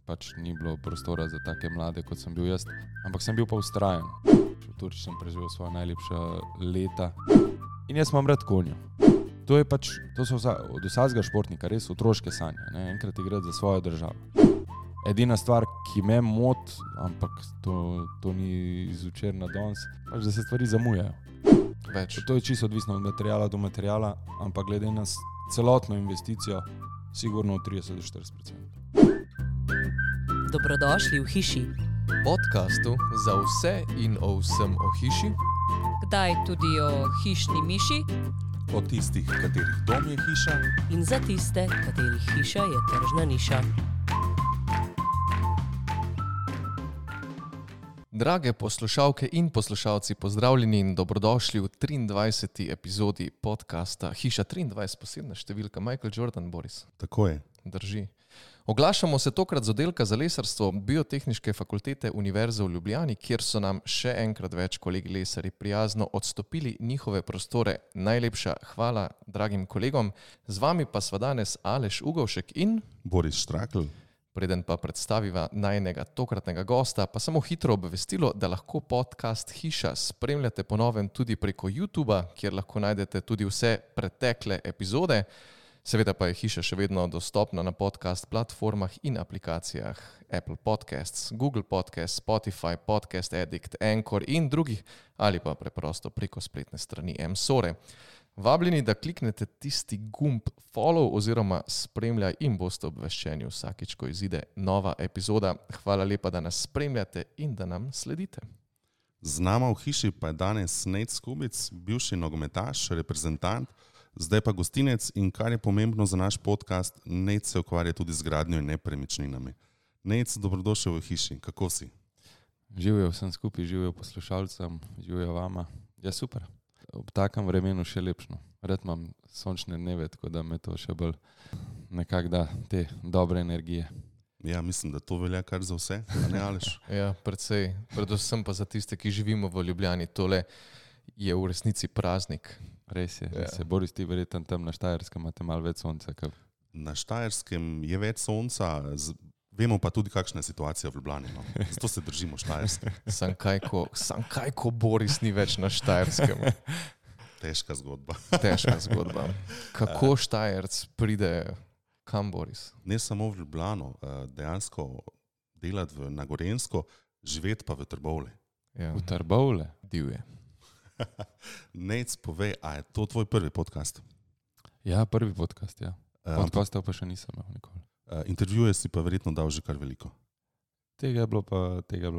pač ni bilo prostora za take mlade, kot sem bil jaz. Ampak sem bil pa ustrajen. V Turčiji sem preživel svoja najlepša leta. In jaz imam rad konja. To so od vsakega športnika res otroške sanje, ne? Enkrat igrati za svojo državo. Edina stvar, ki me moti, ampak to ni iz včeraj na danes, pač da se stvari zamujajo. To je čisto odvisno od materiala do materiala, ampak glede na celotno investicijo, sigurno v 30-40%. Dobrodošli v hiši. Podcastu za vse in o vsem o hiši. Kdaj tudi o hišni miši. O tistih, katerih dom je hiša. In za tiste, katerih hiša je tržna niša. Drage poslušalke in poslušalci, pozdravljeni in dobrodošli v 23. epizodi podcasta Hiša 23, posebna številka. Michael Jordan, Boris. Tako je. Drži. Oglašamo se tokrat z oddelka za lesarstvo Biotehniške fakultete Univerze v Ljubljani, kjer so nam še enkrat več kolegi lesarji prijazno odstopili njihove prostore. Najlepša hvala dragim kolegom. Z vami pa sva danes Aleš Ugovšek in Boris Štrakl. Preden pa predstaviva najnega tokratnega gosta, pa samo hitro obvestilo, da lahko podcast Hiša spremljate po novem tudi preko YouTubea, kjer lahko najdete tudi vse pretekle epizode. Seveda pa je Hiša še vedno dostopna na podcast platformah in aplikacijah Apple Podcasts, Google Podcasts, Spotify, Podcast Addict, Anchor in drugih, ali pa preprosto preko spletne strani M-Sore. Vabljeni, da kliknete tisti gumb follow oziroma spremljaj in boste obveščeni vsakič, ko izide nova epizoda. Hvala lepa, da nas spremljate in da nam sledite. Z nama v hiši pa je danes Nejc Skubic, bivši nogometaš, reprezentant, zdaj pa gostinec in kar je pomembno za naš podcast, Nejc se ukvarja tudi z gradnjo in nepremičninami. Nejc, dobrodošel v hiši, kako si? Živijo vsem skupaj, živijo poslušalcem, živijo vama. Ja, super. Ob takem vremenu še lepšno. Red imam sončne dneve, tako da me to še bolj nekako da te dobre energije. Ja, mislim, da to velja kar za vse, a ne Aleš? Ja, predvsej. Predvsem pa za tiste, ki živimo v Ljubljani. Tole je v resnici praznik. Res je. Ja. Se Boris, ti verjetno tam na Štajerskem imate malo več sonca. Na Štajerskem je več sonca, vemo pa tudi, kakšna je situacija v Ljubljani. No. Zato se držimo Štajerske. Sam kaj, ko Boris ni več na Štajerskem. Težka zgodba. Težka zgodba. Kako Štajerc pride kam, Boris? Ne samo v Ljubljano, dejansko delati na Gorenjsko, živeti pa v Trbovlje. Ja. V Trbovlje? Divje. Nejc, povej, a je to tvoj prvi podcast? Ja, prvi podcast, ja. Podcastov pa še nisem imel nikoli. Intervjuje si pa verjetno dal že kar veliko. Tega je bilo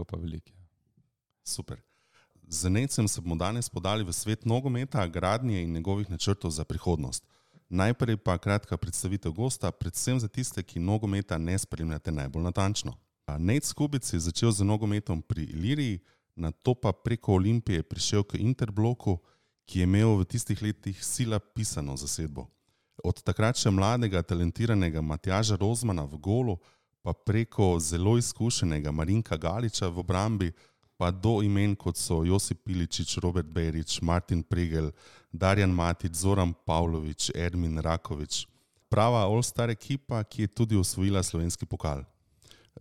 pa veliko. Super. Z Nejcem se bomo danes podali v svet nogometa, gradnje in njegovih načrtov za prihodnost. Najprej pa kratka predstavitev gosta, predvsem za tiste, ki nogometa ne spremljate najbolj natančno. Nejc Skubic je začel z nogometom pri Iliriji, nato pa preko Olimpije prišel k Interbloku, ki je imel v tistih letih sila pisano zasedbo. Od takrat še mladega, talentiranega Matjaža Rozmana v golu, pa preko zelo izkušenega Marinka Galiča v obrambi, pa do imen kot so Josip Piličič, Robert Berić, Martin Pregel, Darjan Matić, Zoran Pavlović, Ermin Raković. Prava all-star ekipa, ki je tudi osvojila slovenski pokal.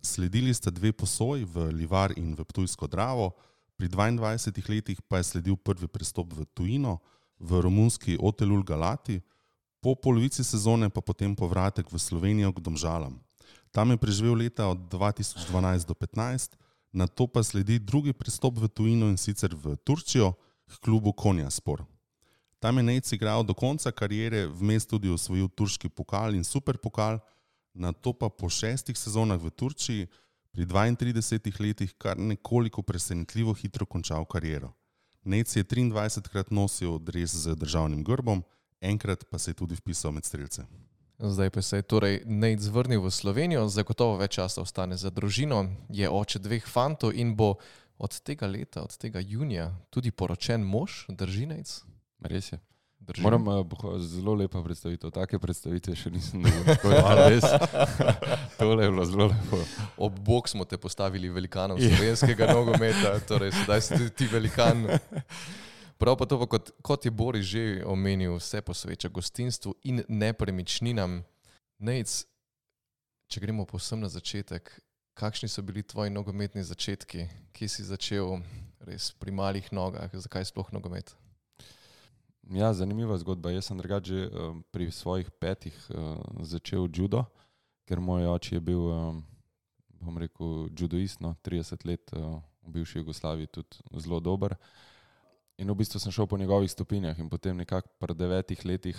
Sledili sta dve posoji v Livar in v Ptujsko Dravo, pri 22 letih pa je sledil prvi prestop v tujino, v romunski Otelul Galati, po polovici sezone pa potem povratek v Slovenijo k Domžalam. Tam je preživel leta od 2012 do 2015, nato pa sledi drugi prestop v tujino in sicer v Turčijo k klubu Konyaspor. Tam je Nejc igral do konca kariere, vmes tudi osvojil turški pokal in superpokal, nato pa po 6 sezonah v Turčiji pri 32 letih kar nekoliko presenetljivo hitro končal kariero. Nejc je 23krat nosil dres z državnim grbom, enkrat pa se je tudi vpisal med strelce. Zdaj pa se je torej Nejc vrnil v Slovenijo, zagotovo več časa ostane za družino, je oče 2 fantov in bo od tega leta, od tega junija tudi poročen mož, drži Nejc? Res je. Drži. Moram zelo lepa predstavitev, take predstavitve še nisem dobil. Res. Tole je bilo zelo lepo. Ob bok smo te postavili velikanom slovenskega nogometa, torej sedaj si tudi ti velikan. Prav pa to, kot je Boris že omenil, vse posveča gostinstvu in nepremičninam. Nejc, če gremo povsem na začetek, kakšni so bili tvoji nogometni začetki? Kje si začel res pri malih nogah? Zakaj sploh nogomet? Ja, zanimiva zgodba. Jaz sem drugače pri svojih 5 začel judo, ker moj oče je bil, bom rekel, judoist, 30 let v bivši Jugoslaviji tudi zelo dober. In v bistvu sem šel po njegovih stopinjah in potem nekako pri 9 letih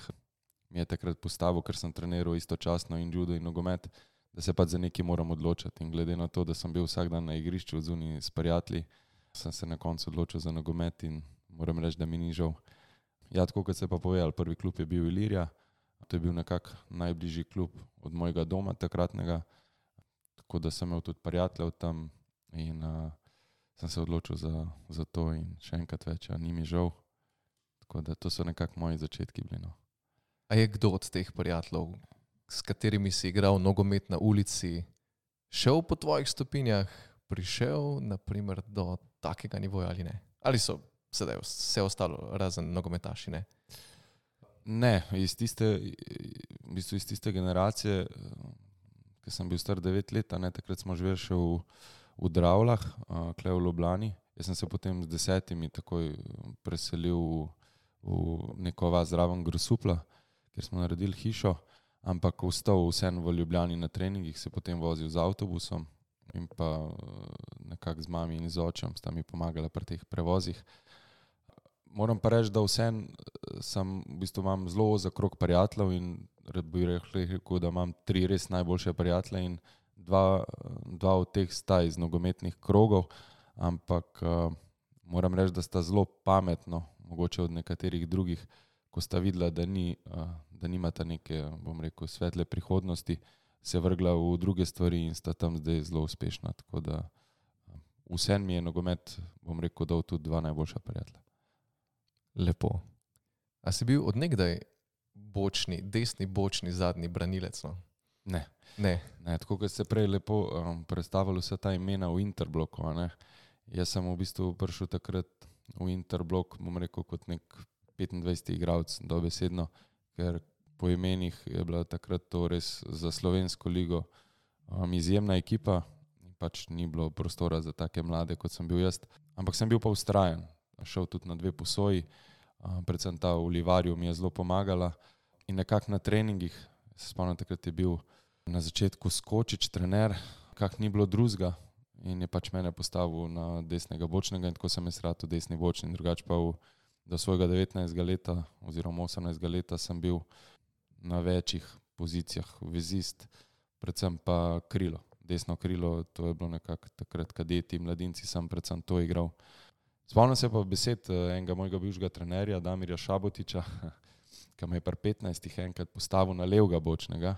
mi je takrat postavil, ker sem treniral istočasno in judo in nogomet, da se pač za nekaj moram odločiti. In glede na to, da sem bil vsak dan na igrišču zunaj s prijatelji, sem se na koncu odločil za nogomet in moram reči, da mi ni žal. Ja, tako kot se pa povedal, prvi klub je bil Ilirija, to je bil nekako najbližji klub od mojega doma takratnega, tako da sem imel tudi prijateljev tam in sem se odločil za to in še enkrat več, ni mi žal. Tako da to so nekako moji začetki bili. A je kdo od teh prijateljev, s katerimi si igral nogomet na ulici, šel po tvojih stopinjah, prišel naprimer do takega nivoja ali ne? Ali so sedaj vse ostalo razen nogometaši, ne? Ne, iz tiste generacije, ko sem bil star 9 let, takrat smo živeli še v Dravljah, tule v Ljubljani. Jaz sem se potem z 10 takoj preselil v neko vas zraven Grosupla, kjer smo naredili hišo, ampak ostal vseeno v Ljubljani na treningih, se potem vozil z avtobusom in pa nekako z mami in z očem sta mi pomagala pri teh prevozih. Moram pa reči, da vseeno v bistvu imam zelo ozek krog prijateljev in rad bi rekel, da imam 3 res najboljše prijatelje in dva od teh sta iz nogometnih krogov, ampak moram reči, da sta zelo pametno, mogoče od nekaterih drugih, ko sta videla, da nimata neke, bom rekel, svetle prihodnosti, se vrgla v druge stvari in sta tam zdaj zelo uspešna. Tako da vseeno mi je nogomet, bom rekel, dal tudi 2 najboljša prijatelja. Lepo. A si bil od nekdaj desni bočni zadnji branilec? No? Ne. Ne. Tako kot ste prej lepo predstavili vse ta imena v Interbloku. Jaz sem v bistvu prišel takrat v Interblok, bom rekel, kot nek 25 igralec dobesedno, ker po imenih je bila takrat to res za slovensko ligo izjemna ekipa. Pač ni bilo prostora za take mlade, kot sem bil jaz. Ampak sem bil pa vztrajen. Šel tudi na 2 posoji, predvsem ta v Livarju mi je zelo pomagala. In nekako na treningih, se spomnim, takrat je bil na začetku Skočič trener, kak ni bilo drugega in je pač mene postavil na desnega bočnega in tako sem jaz rad v desni bočni. Drugače pa do svojega 19. leta oziroma 18. leta sem bil na večjih pozicijah, vezist, predvsem pa krilo. Desno krilo, to je bilo nekako takrat kadeti, mladinci, sem predvsem to igral. Spomnim se pa besed enega mojega bivšega trenerja, Damirja Šabotiča, ki me je pri 15 enkrat postavil na levega bočnega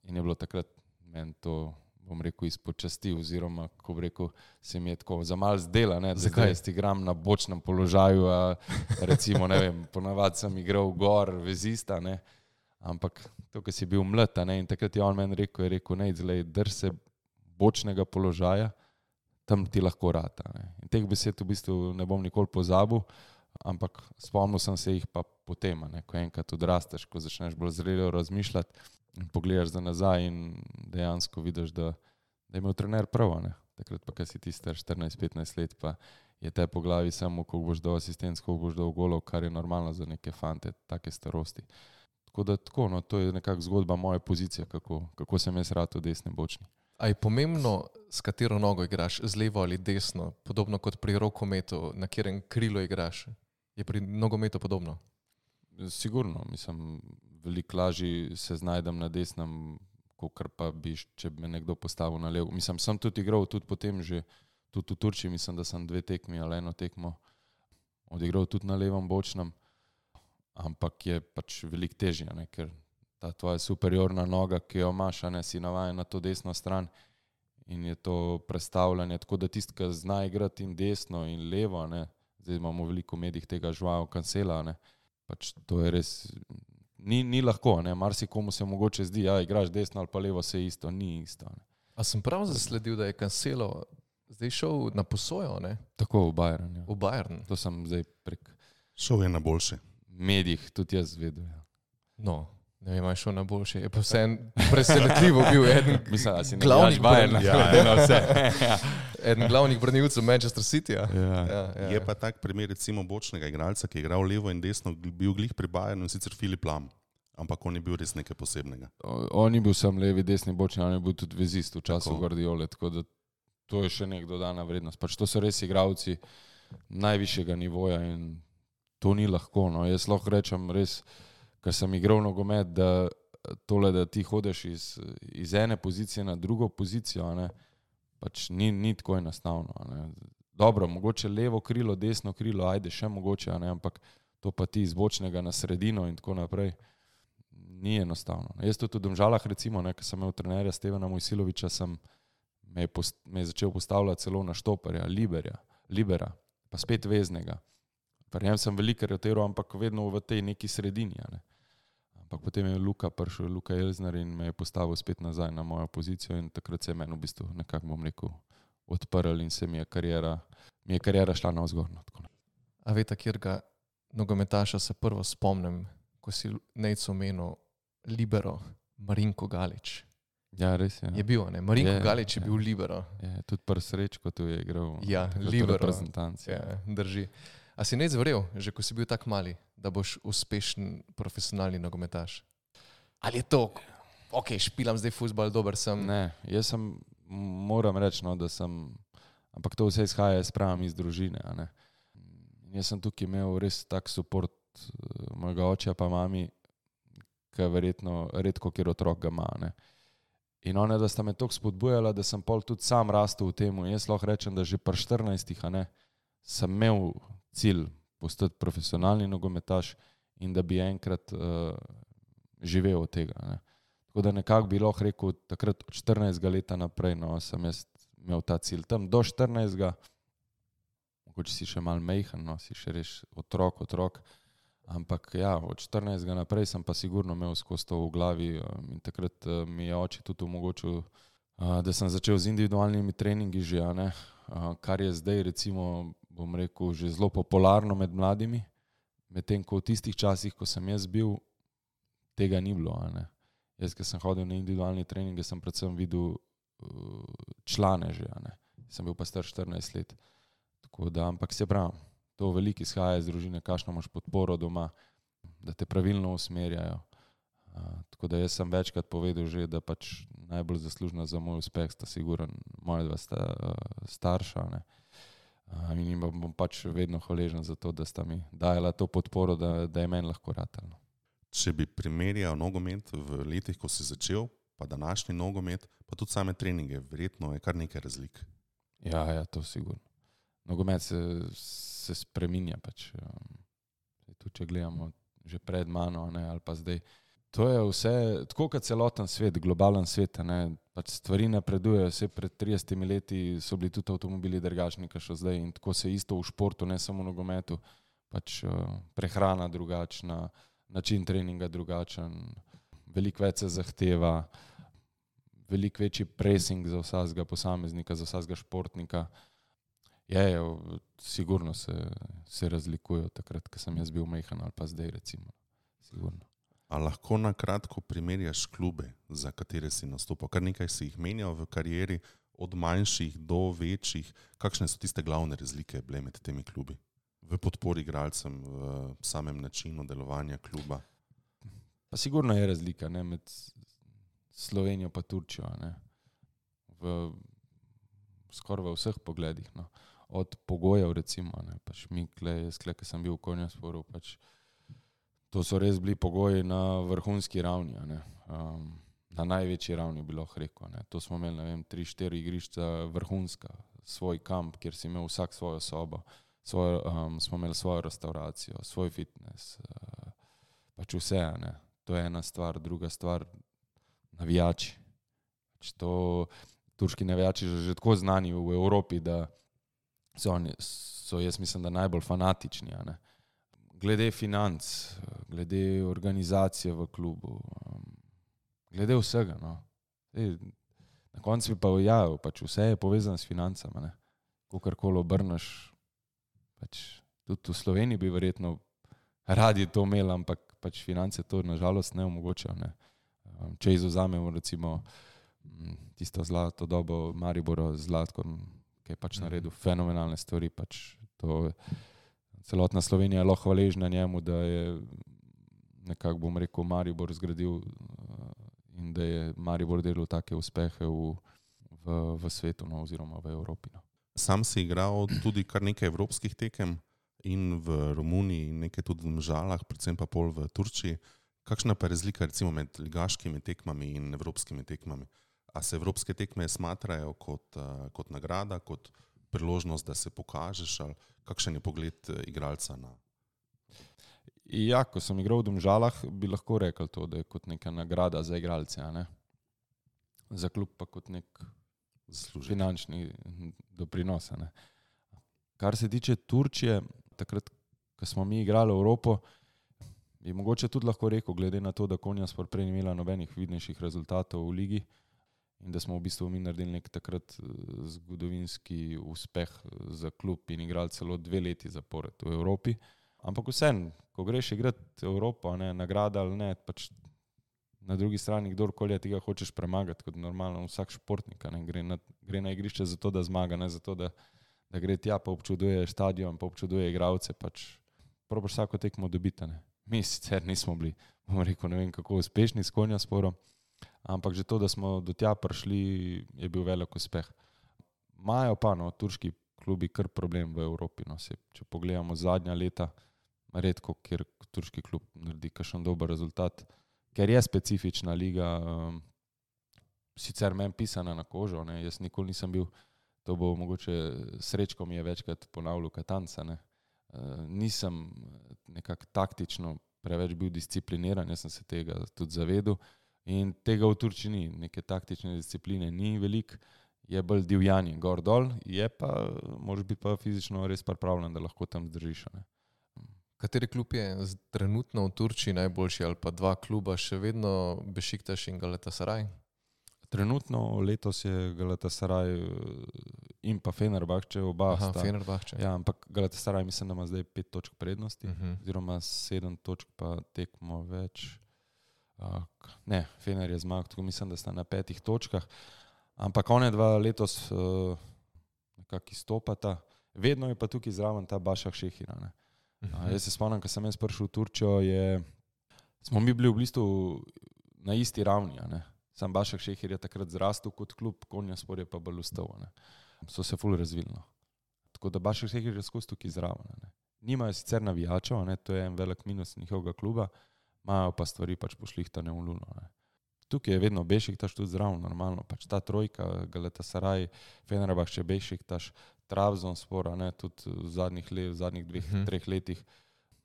in je bilo takrat meni to, bom rekel, izpod časti oziroma, ko bi rekel, se mi je tako za malo zdela, da zdaj jaz igram na bočnem položaju, recimo, ne vem, ponavadi sem igral gor vezista, ampak to, ko si bil mlad, in takrat je on meni rekel, drž se bočnega položaja, tam ti lahko rata. In teh besed v bistvu ne bom nikoli pozabil, ampak spomnil sem se jih pa potem, ko enkrat odrasteš, ko začneš bolj zrelo razmišljati in pogledaš za nazaj in dejansko vidiš, da je imel trener prav. Takrat pa, ko si ti star 14-15 let, pa je te po glavi samo, koliko boš dal asistenc, koliko boš dal golov, kar je normalno za neke fante take starosti. Tako da to je nekako zgodba moje pozicije, kako sem jaz rad v desni bočni. A je pomembno, s katero nogo igraš, z levo ali desno, podobno kot pri rokometu, na katerem krilo igraš? Je pri nogometu podobno? Sigurno, mislim, veliko lažje se znajdem na desnem, kakor pa bi, če bi me nekdo postavil na levo. Mislim, sem tudi igral, tudi potem že, tudi v Turčiji, mislim, da sem 2 tekmi ali 1 tekmo odigral tudi na levom bočnem, ampak je pač veliko težje, ker ta tvoja superiorna noga, ki jo imaš, si navajen na to desno stran in je to prestavljanje, tako da tisti, ki zna igrati in desno in levo, zdaj imamo veliko v medijih tega Joao Cancela, pač to je res, ni lahko, marsikomu se mogoče zdi, igraš desno ali pa levo, se isto, ni isto. A sem prav zasledil, da je Cancelo zdaj šel na posojo, Tako v Bayern. Ja. V Bayern. To sem zdaj prek Šel je na boljše. medijih tudi jaz vedel. Ja. No, Ne vem, je šel na boljše. Je pa vse presenetljivo bil eden Mislim, da si ne glavnih gledaš vajen na vse. eden glavnih branilcev Manchester Cityja. Je pa tak primer recimo bočnega igralca, ki je igral levo in desno, bil glih pri Bayernu, in sicer Filip Lam. Ampak on je bil res nekaj posebnega. On je bil sam levi, desni, bočni, on je bil tudi vezist v času Guardiole, tako da to je še nek dodana vrednost. Pač to so res igralci najvišjega nivoja in to ni lahko. No. Jaz lahko rečem res, ker sem igral nogomet, da tole, da ti hodeš iz ene pozicije na drugo pozicijo, ne, pač ni tako enostavno. Ne. Dobro, mogoče levo krilo, desno krilo, ajde še mogoče, ne, ampak to pa ti iz bočnega na sredino in tako naprej. Ni enostavno. Jaz tudi v Domžalah, recimo, ko sem imel trenerja Stevana Mojsilovića, me je začel postavljati celo na štoperja, libera, pa spet veznega. Pri njem sem veliko rotiral, ampak vedno v tej neki sredini. Ne. Ampak potem je prišel Luka Elzner in me je postavil spet nazaj na mojo pozicijo in takrat se je meni v bistvu nekako, bom rekel, odprl in se mi je kariera šla navzgor. A veste, kjerga nogometaša se prvo spomnim, ko si Nejco omenil libero, Marinko Galič. Ja, res je. Je bil, ne? Marinko Galič je bil libero. Je, tudi prvi Srečko tu je igral. Ja, libero. Reprezentanci. Ja, drži. A si Nejc verjel, že ko si bil tak mali, da boš uspešen profesionalni nogometaš? Ali je to, ok, špilam zdaj fuzbal, dober sem? Ne, jaz moram reči, no, da sem, ampak to vse izhaja iz družine. A ne. Jaz sem tukaj imel res tak support mojega oča pa mami, ki verjetno redko kjer otrok ga ima. Ne. In one, da sta me toliko spodbujala, da sem pol tudi sam rastel v temu. Jaz lahko rečem, da že pri 14 sem imel cilj postati profesionalni nogometaš in da bi enkrat živel od tega. Ne. Tako da nekako bi lahko rekel, takrat od 14 leta naprej, no, sem jaz imel ta cilj. Tam do 14, mogoče si še malo mejhan, no, si še res otrok, ampak ja, od 14 naprej sem pa sigurno imel skozi to v glavi in takrat mi je oče tudi omogočil, da sem začel z individualnimi treningi že, ne, kar je zdaj recimo, bom rekel, že zelo popularno med mladimi, medtem ko v tistih časih, ko sem jaz bil, tega ni bilo. Ne. Jaz, ko sem hodil na individualni treninge, sem predvsem videl člane že, ne. Sem bil pa star 14 let. Tako da, ampak se pravim, to veliko izhaja iz družine, kakšno imaš podporo doma, da te pravilno usmerjajo. Tako da jaz sem večkrat povedal že, da pač najbolj zaslužna za moj uspeh sta sigurno moja dva starša. Ne. In jim bom pač vedno hvaležen za to, da sta mi dajala to podporo, da je meni lahko ratalo. Če bi primerjal nogomet v letih, ko si začel, pa današnji nogomet, pa tudi same treninge, verjetno je kar nekaj razlik. Ja, to sigurno. Nogomet se spreminja pač. Tudi če gledamo že pred mano, ne, ali pa zdaj. To je vse, tako kot celoten svet, globalen svet, ne, pač stvari napredujejo. Vse pred 30 leti so bili tudi avtomobili drugačni, kot so zdaj, in tako se isto v športu, ne samo v nogometu, pač prehrana drugačna, način treninga drugačen, veliko več se zahteva, veliko večji pressing za vsakega posameznika, za vsakega športnika. Sigurno se razlikujejo takrat, ko sem jaz bil majhen ali pa zdaj recimo. Sigurno. A lahko na kratko primerjaš klube, za katere si nastopal? Kar nekaj si jih menjal v karieri, od manjših do večjih. Kakšne so tiste glavne razlike bile med temi klubi? V podpori igralcem, v samem načinu delovanja kluba? Pa sigurno je razlika, ne, med Slovenijo pa Turčijo. Ne. Skoraj v vseh pogledih. No. Od pogojev recimo, ne, pač jaz, ko sem bil v Konjasporu, pač to so res bili pogoji na vrhunski ravni, ne. Na največji ravni bi lahko rekel. Ne. To smo imeli, ne vem, 3-4 igrišča vrhunska, svoj kamp, kjer si imel vsak svojo sobo, smo imeli svojo restauracijo, svoj fitness, pač vse. Ne. To je ena stvar, druga stvar, navijači. Pač to, turški navijači že tako znani v Evropi, da so jaz mislim, da najbolj fanatični. Ne. Glede financ, glede organizacije v klubu, glede vsega. No. Na koncu bi pa pač vse je povezano s financami. Kakorkoli obrneš, pač tudi v Sloveniji bi verjetno radi to imeli, ampak pač finance to nažalost ne omogočajo. Ne. Če izvzamemo recimo tisto zlato dobo Maribora z Zlatkom, ki je pač naredil fenomenalne stvari, pač to celotna Slovenija je lahko hvaležna njemu, da je nekako, bom rekel, Maribor zgradil in da je Maribor delal take uspehe v svetu, no, oziroma v Evropi. No. Sam si igral tudi kar nekaj evropskih tekem in v Romuniji, in nekaj tudi v Domžalah, predvsem pa pol v Turčiji. Kakšna pa je razlika recimo med ligaškimi tekmami in evropskimi tekmami? A se evropske tekme smatrajo kot nagrada, kot priložnost, da se pokažeš, ali kakšen je pogled igralca na? Ja, ko sem igral v Domžalah, bi lahko rekel to, da je kot neka nagrada za igralce, a ne? Za klub pa kot nek finančni doprinos. Ne? Kar se tiče Turčije, takrat, ko smo mi igrali v Evropo, bi mogoče tudi lahko rekel, glede na to, da Konjaspor prej ni imela nobenih vidnejših rezultatov v ligi in da smo v bistvu mi naredili nek takrat zgodovinski uspeh za klub in igrali celo 2 leti zapored v Evropi. Ampak vseeno, ko greš igrati Evropo, ne, nagrada ali ne, pač na drugi strani kdorkoli tega hočeš premagati, kot normalno vsak športnik, ne, gre na igrišče zato, da zmaga, ne zato, da gre tja, pa občuduje stadion, pa občuduje igralce, pač probaš vsako tekmo dobiti. Ne. Mi sicer nismo bili, bom rekel, ne vem kako uspešni s Konjasporom, ampak že to, da smo do tja prišli, je bil velik uspeh. Imajo pa turški klubi kar problem v Evropi. No. Če pogledamo zadnja leta, redko, kjer turški klub naredi kakšen dober rezultat, ker je specifična liga, sicer meni pisana na kožo, ne. Jaz nikoli nisem bil, to bo mogoče Srečko mi je večkrat ponavljal Katanca, ne. Nisem nekako taktično preveč bil discipliniran, jaz sem se tega tudi zavedel in tega v Turčiji ni, neke taktične discipline ni veliko, je bolj divjanje gor dol, je pa, moraš biti pa fizično res pripravljen, da lahko tam zdržiš. Ne. Kateri klub je trenutno v Turčiji najboljši ali pa 2 kluba, še vedno Bešiktaš in Galatasaray? Trenutno letos je Galatasaray in pa Fenerbahče, oba sta. Fenerbahče. Ja, ampak Galatasaray mislim, da ima zdaj 5 točk prednosti, oziroma 7 točk pa tekmo več. Ne, Fener je zmagal, tako mislim, da sta na 5 točkah. Ampak one 2 letos nekako izstopata. Vedno je pa tukaj zraven ta Başak Šehir. Jaz se spomnim, ko sem jaz prišel v Turčijo, smo mi bili v bistvu na isti ravni. Ne. Sam Başak Šehir je takrat zrastel kot klub, Konjaspor je pa bolj ustal. So se ful razvili. No. Tako da Başak Šehir je skozi tukaj zraven. Ne. Nimajo sicer navijačev, ne, to je en velik minus njihovega kluba, imajo pa stvari pač pošlihtane v luno. Ne. Tukaj je vedno Bešiktaš tudi zraven, normalno. Pač ta trojka, Galatasaray, Fenerbahče, Bešiktaš, Trabzonspor, ne, tudi v zadnjih 2-3 letih.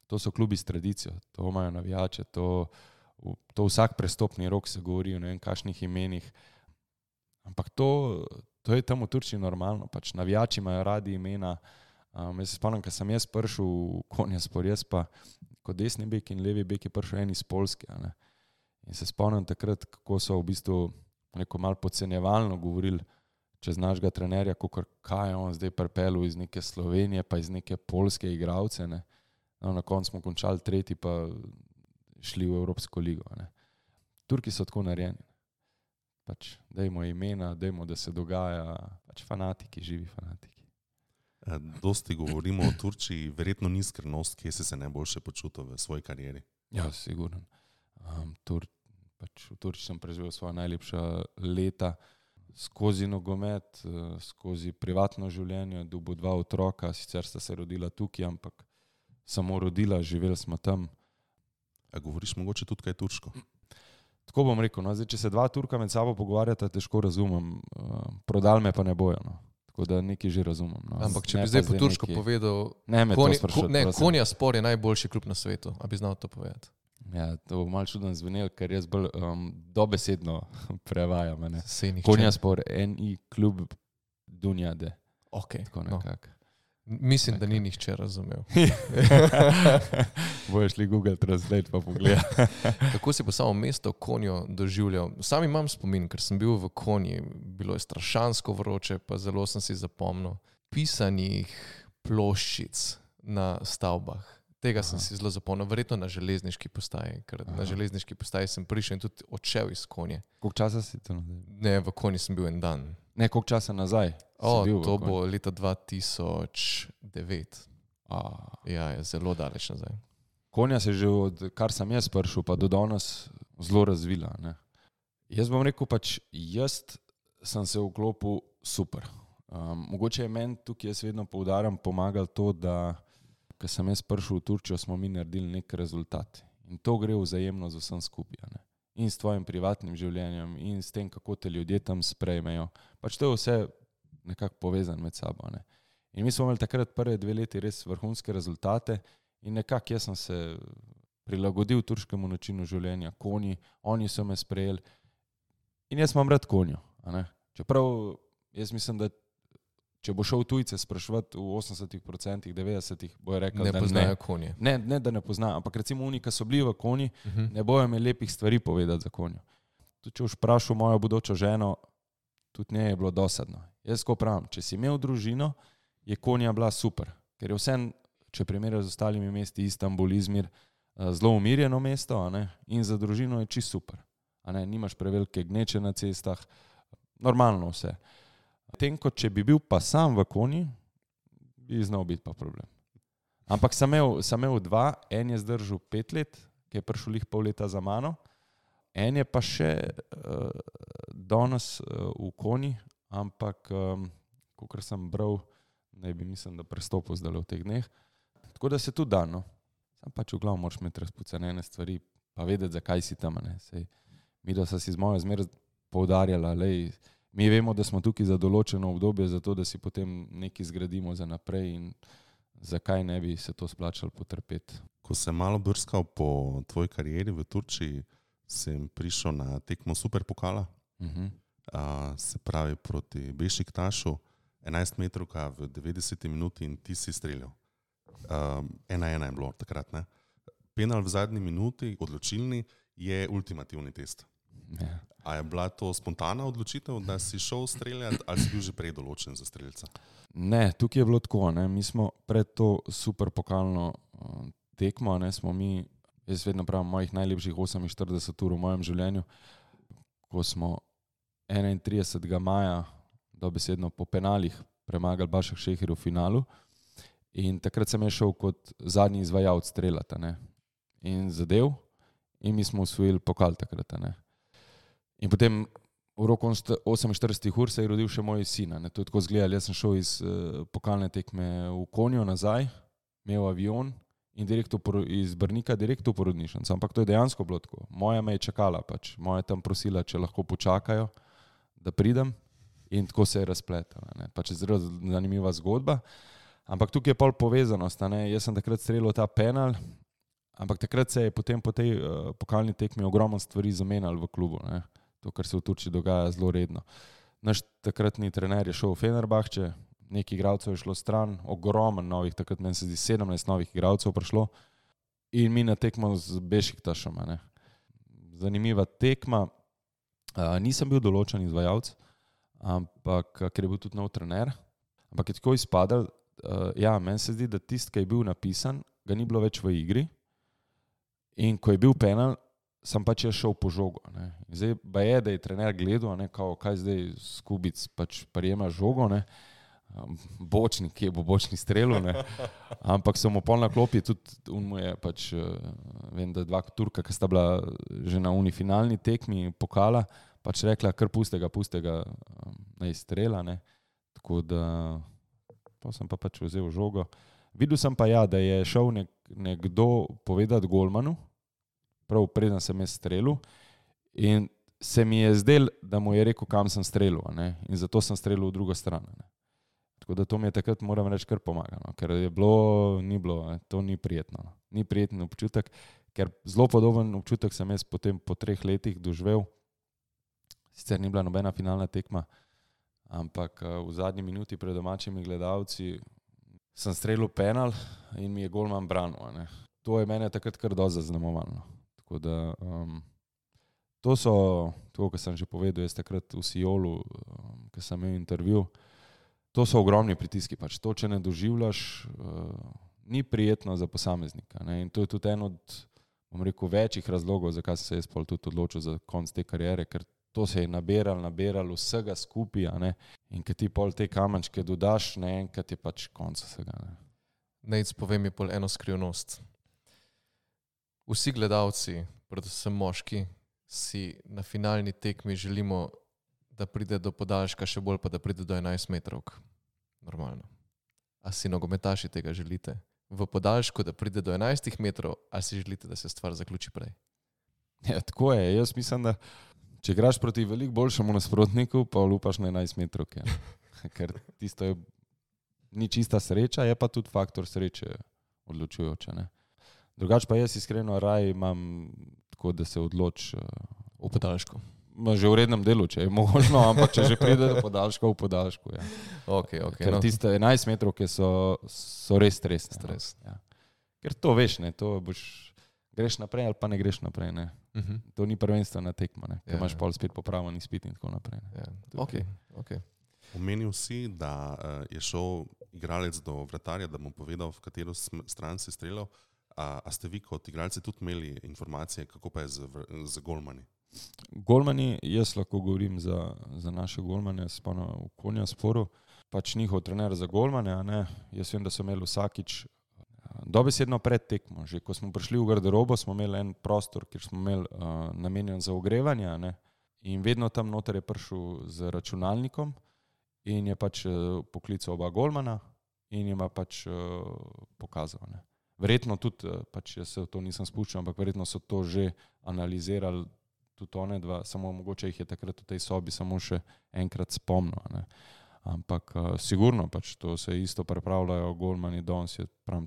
To so klubi s tradicijo, to imajo navijače, to vsak prestopni rok se govori o ne vem kakšnih imenih. Ampak to je tam v Turčiji normalno, pač navijači imajo radi imena. Jaz se spomnim, ko sem jaz prišel v Konjaspor, jaz pa kot desni bek in levi bek je prišel en iz Poljske. Ne. In se spomnim takrat, kako so v bistvu neko malo podcenjevalno govorili čez našega trenerja, kaj je on zdaj pripeljal iz neke Slovenije, pa iz neke poljske igralce. Ne. No, na koncu smo končali 3, pa šli v Evropsko ligo. Ne. Turki so tako narejeni. Pač dajmo imena, dajmo, da se dogaja, pač fanatiki, živi fanatiki. Dosti govorimo o Turčiji, verjetno ni skrivnost, kje si se najboljše počutil v svoji karieri? Ja, sigurno. V Turčiji sem preživel svoja najlepša leta skozi nogomet, skozi privatno življenje, dobil 2 otroka, sicer sta se rodila tukaj, ampak samo rodila, živeli smo tam. A govoriš mogoče tudi kaj turško? Tako bom rekel, no, zdaj, če se 2 Turka med sabo pogovarjata, težko razumem, prodal me pa ne bojo, no. Tako da nekaj že razumem. No. Ampak če bi zdaj po turško povedal, Konjaspor je najboljši klub na svetu, a bi znal to povedati? Ja, to bo malo čudno zvenelo, ker jaz bolj dobesedno prevajam. Konjaspor, NI klub Dunjade. Ok, tako nekako. Mislim, da ni nihče razumel. Bojo šli Google Translate pa pogleda. Kako si pa samo mesto Konjo doživljal? Sam imam spomin, ker sem bil v Konji, bilo je strašansko vroče, pa zelo sem si zapomnil pisanih ploščic na stavbah. Tega sem si zelo zapomnil, verjetno na železniški postaji, ker na železniški postaji sem prišel in tudi odšel iz Konje. Koliko časa si to nazaj? Ne, v Konji sem bil en dan. Ne, koliko časa nazaj? To bo leta 2009. Ja, je zelo daleč nazaj. Konja se že od kar sem jaz prišel, pa do danes zelo razvila. Ne? Jaz bom rekel, jaz sem se vklopil super. Mogoče je meni tukaj, jaz vedno poudarjam, pomagal to, da ko sem jaz prišel v Turčijo, smo mi naredili nek rezultat. In to gre vzajemno z vsem skupaj. Ne? In s tvojim privatnim življenjem, in s tem, kako te ljudje tam sprejmejo. To je vse nekako povezano med sabo. Ne? In mi smo imeli takrat prve 2 leti res vrhunske rezultate in nekako jaz sem se prilagodil turškemu načinu življenja, Konji, oni so me sprejeli in jaz imam rad Konjo. Čeprav jaz mislim, da če bo šel tujce spraševati v 80%, 90%, bojo rekli, ne da poznajo Konje. Ne, da ne poznajo, ampak recimo oni, ki so bili v Konji, ne bojo imeli lepih stvari povedati za Konjo. Tudi če boš vprašal mojo bodočo ženo, tudi ne je bilo dosadno. Jaz ko pravim, če si imel družino, je Konja bila super, ker je vsem, če primerjajo z ostalimi mesti, Istanbul, Izmir, zelo umirjeno mesto, in za družino je čisto super. Nimaš prevelike gneče na cestah, normalno vse. Tem, kot če bi bil pa sam v Konji, bi znal biti pa problem. Ampak sem imel 2, en je zdržal 5 let, ki je prišel lih pol leta za mano, en je pa še danes v Konji, ampak kakor sem bral, ne bi mislim, da prestopil zdaj v teh dneh. Tako da se tudi da, no. Sam v glavu moraš imeti razpucanene stvari, pa vedeti, zakaj si tam. Mi da so si z mojo zmer poudarjala, mi vemo, da smo tukaj za določeno obdobje, zato da si potem nekaj zgradimo za naprej in zakaj ne bi se to splačalo potrpeti. Ko sem malo brskal po tvoji karieri v Turčiji, sem prišel na tekmo Superpokala, se pravi proti Bešiktašu, 11 metrovka v 90 minuti in ti si streljal. 1-1 je bilo takrat, ne? Penal v zadnji minuti, odločilni, je ultimativni test. Ja. A je bila to spontana odločitev, da si šel streljati, ali si bil že prej določen za streljca? Ne, tukaj je bilo tako, ne? Mi smo pred to superpokalno tekmo, smo mi, jaz vedno pravim, mojih najlepših 48 ur v mojem življenju, ko smo 31. maja dobesedno po penalih premagali Başakşehir v finalu in takrat sem šel kot zadnji izvajalec streljata, in zadev in mi smo osvojili pokal takrat, In potem v roku 48 ur se je rodil še moj sin, to je tako zgledal, jaz sem šel iz pokalne tekme v Konjo nazaj, imel avion in iz Brnika direkt v porodnišnico, ampak to je dejansko bilo tako. Moja me je čakala, moja tam prosila, če lahko počakajo, da pridem in tako se je razpletala. Je zelo zanimiva zgodba, ampak tukaj je pol povezanost, jaz sem takrat streljal ta penal, ampak takrat se je potem po tej pokalni tekmi ogromno stvari zamenjalo v klubu, to, kar se v Turčiji dogaja zelo redno. Naš takratni trener je šel v Fenerbahče, nekaj igralcev je šlo stran, ogromen novih, takrat meni se zdi 17 novih igralcev prišlo in mi na tekmo z Bešiktašem. Zanimiva tekma, nisem bil določen izvajalec, ampak ker je bil tudi nov trener, ampak je tako izpadal, meni se zdi, da tisti, ki je bil napisan, ga ni bilo več v igri in ko je bil penal, sem jaz šel po žogo. Zdaj pa je, da je trener gledal, kaj zdaj Skubic prijema žogo, bočnik, ki je bo bočni strelil, ampak so mu pol na klopi, tudi on mu je vem, da 2 Turka, ki sta bila že na unifinalni tekmi pokala, rekla, kar puste ga, naj strela, tako da pa sem vzel žogo. Videl sem pa da je šel nekdo povedati golmanu, prav preden sem jaz strelil in se mi je zdel, da mu je rekel, kam sem strelil, in zato sem strelil v drugo stran. Tako da to mi je takrat, moram reči, kar pomagalo, ker je bilo, ni bilo, to ni prijetno. Ni prijeten občutek, ker zelo podoben občutek sem jaz potem po 3 letih doživel, sicer ni bila nobena finalna tekma, ampak v zadnji minuti pred domačimi gledalci sem strelil penal in mi je golman branil. To je mene takrat kar dosti zaznamovalo. Tako da to so, tako kot sem že povedal, jaz takrat v Sijolu, ko sem imel intervju, to so ogromni pritiski. To, če ne doživljaš, ni prijetno za posameznika. Ne? In to je tudi en od, bom rekel, večjih razlogov, zakaj sem se jaz pol tudi odločil za konc te kariere, ker to se je naberal vsega skupaj, a ne? In kad ti pol te kamenčke dodaš, naenkrat je pač konc vsega. Ne? Nejc, povem mi pol eno skrivnost. Vsi gledalci, predvsem moški, si na finalni tekmi želimo, da pride do podaljška, še bolj pa da pride do 11 metrovk. Normalno. A si nogometaši tega želite? V podaljšku, da pride do 11 metrov, ali si želite, da se stvar zaključi prej? Ja, tako je. Jaz mislim, da če igraš proti veliko boljšemu nasprotniku, pa lupaš na 11 metrovke. Ker tisto je ni čista sreča, je pa tudi faktor sreče odločujoče. Ne? Drugače pa jaz iskreno raj imam tako, da se odloči v podaljšku. Že v rednem delu, če je možno, ampak če že pride do podaljška, v podaljšku. Ja. Okay, Ker tiste 11 metrovke so res stresne. Stres. Ja. Ker to veš, ne, to greš naprej ali pa ne greš naprej. Ne. To ni prvenstvena tekma, ne, ker imaš pol spet popravljen izpit in tako naprej. Ja. Okay. Omenil si, da je šel igralec do vratarja, da mu povedal, v katero stran si streljal. A ste vi kot igralci tudi imeli informacije, kako pa je z golmani? Golmani, jaz lahko govorim za naše golmane, spano v Konjasporu, pač njihov trener za golmane, a ne, jaz vem, da so imeli vsakič dobesedno pred tekmo, že ko smo prišli v garderobo, smo imeli en prostor, kjer smo imeli namenjen za ogrevanje, a ne, in vedno tam noter je prišel z računalnikom in je pač poklical oba golmana in jima pač pokazal, ne. Verjetno tudi, pač jaz se v to nisem spuščal, ampak verjetno so to že analizirali tudi one dva, samo mogoče jih je takrat v tej sobi samo še enkrat spomnil. Ne. Ampak sigurno pač to se isto pripravljajo golmani danes,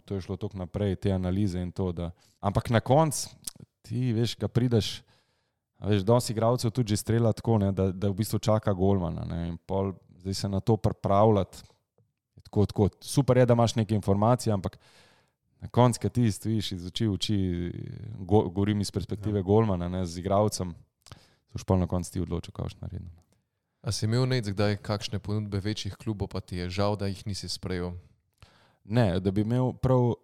to je šlo toliko naprej, te analize in to, da... Ampak na konc, ti veš, ga prideš, veš, danes igralcev tudi že strela tako, ne, da v bistvu čaka golmana, ne, in pol zdaj se na to pripravljati, tako. Super je, da imaš neke informacije, ampak na konc, kad ti stojiš iz oči v oči, govorim iz perspektive golmana, ne, z igralcem, so špol na konc ti odločil, kaj boš naredil. A si imel Nejc kdaj kakšne ponudbe večjih klubov, pa ti je žal, da jih nisi sprejel? Ne, da bi imel prav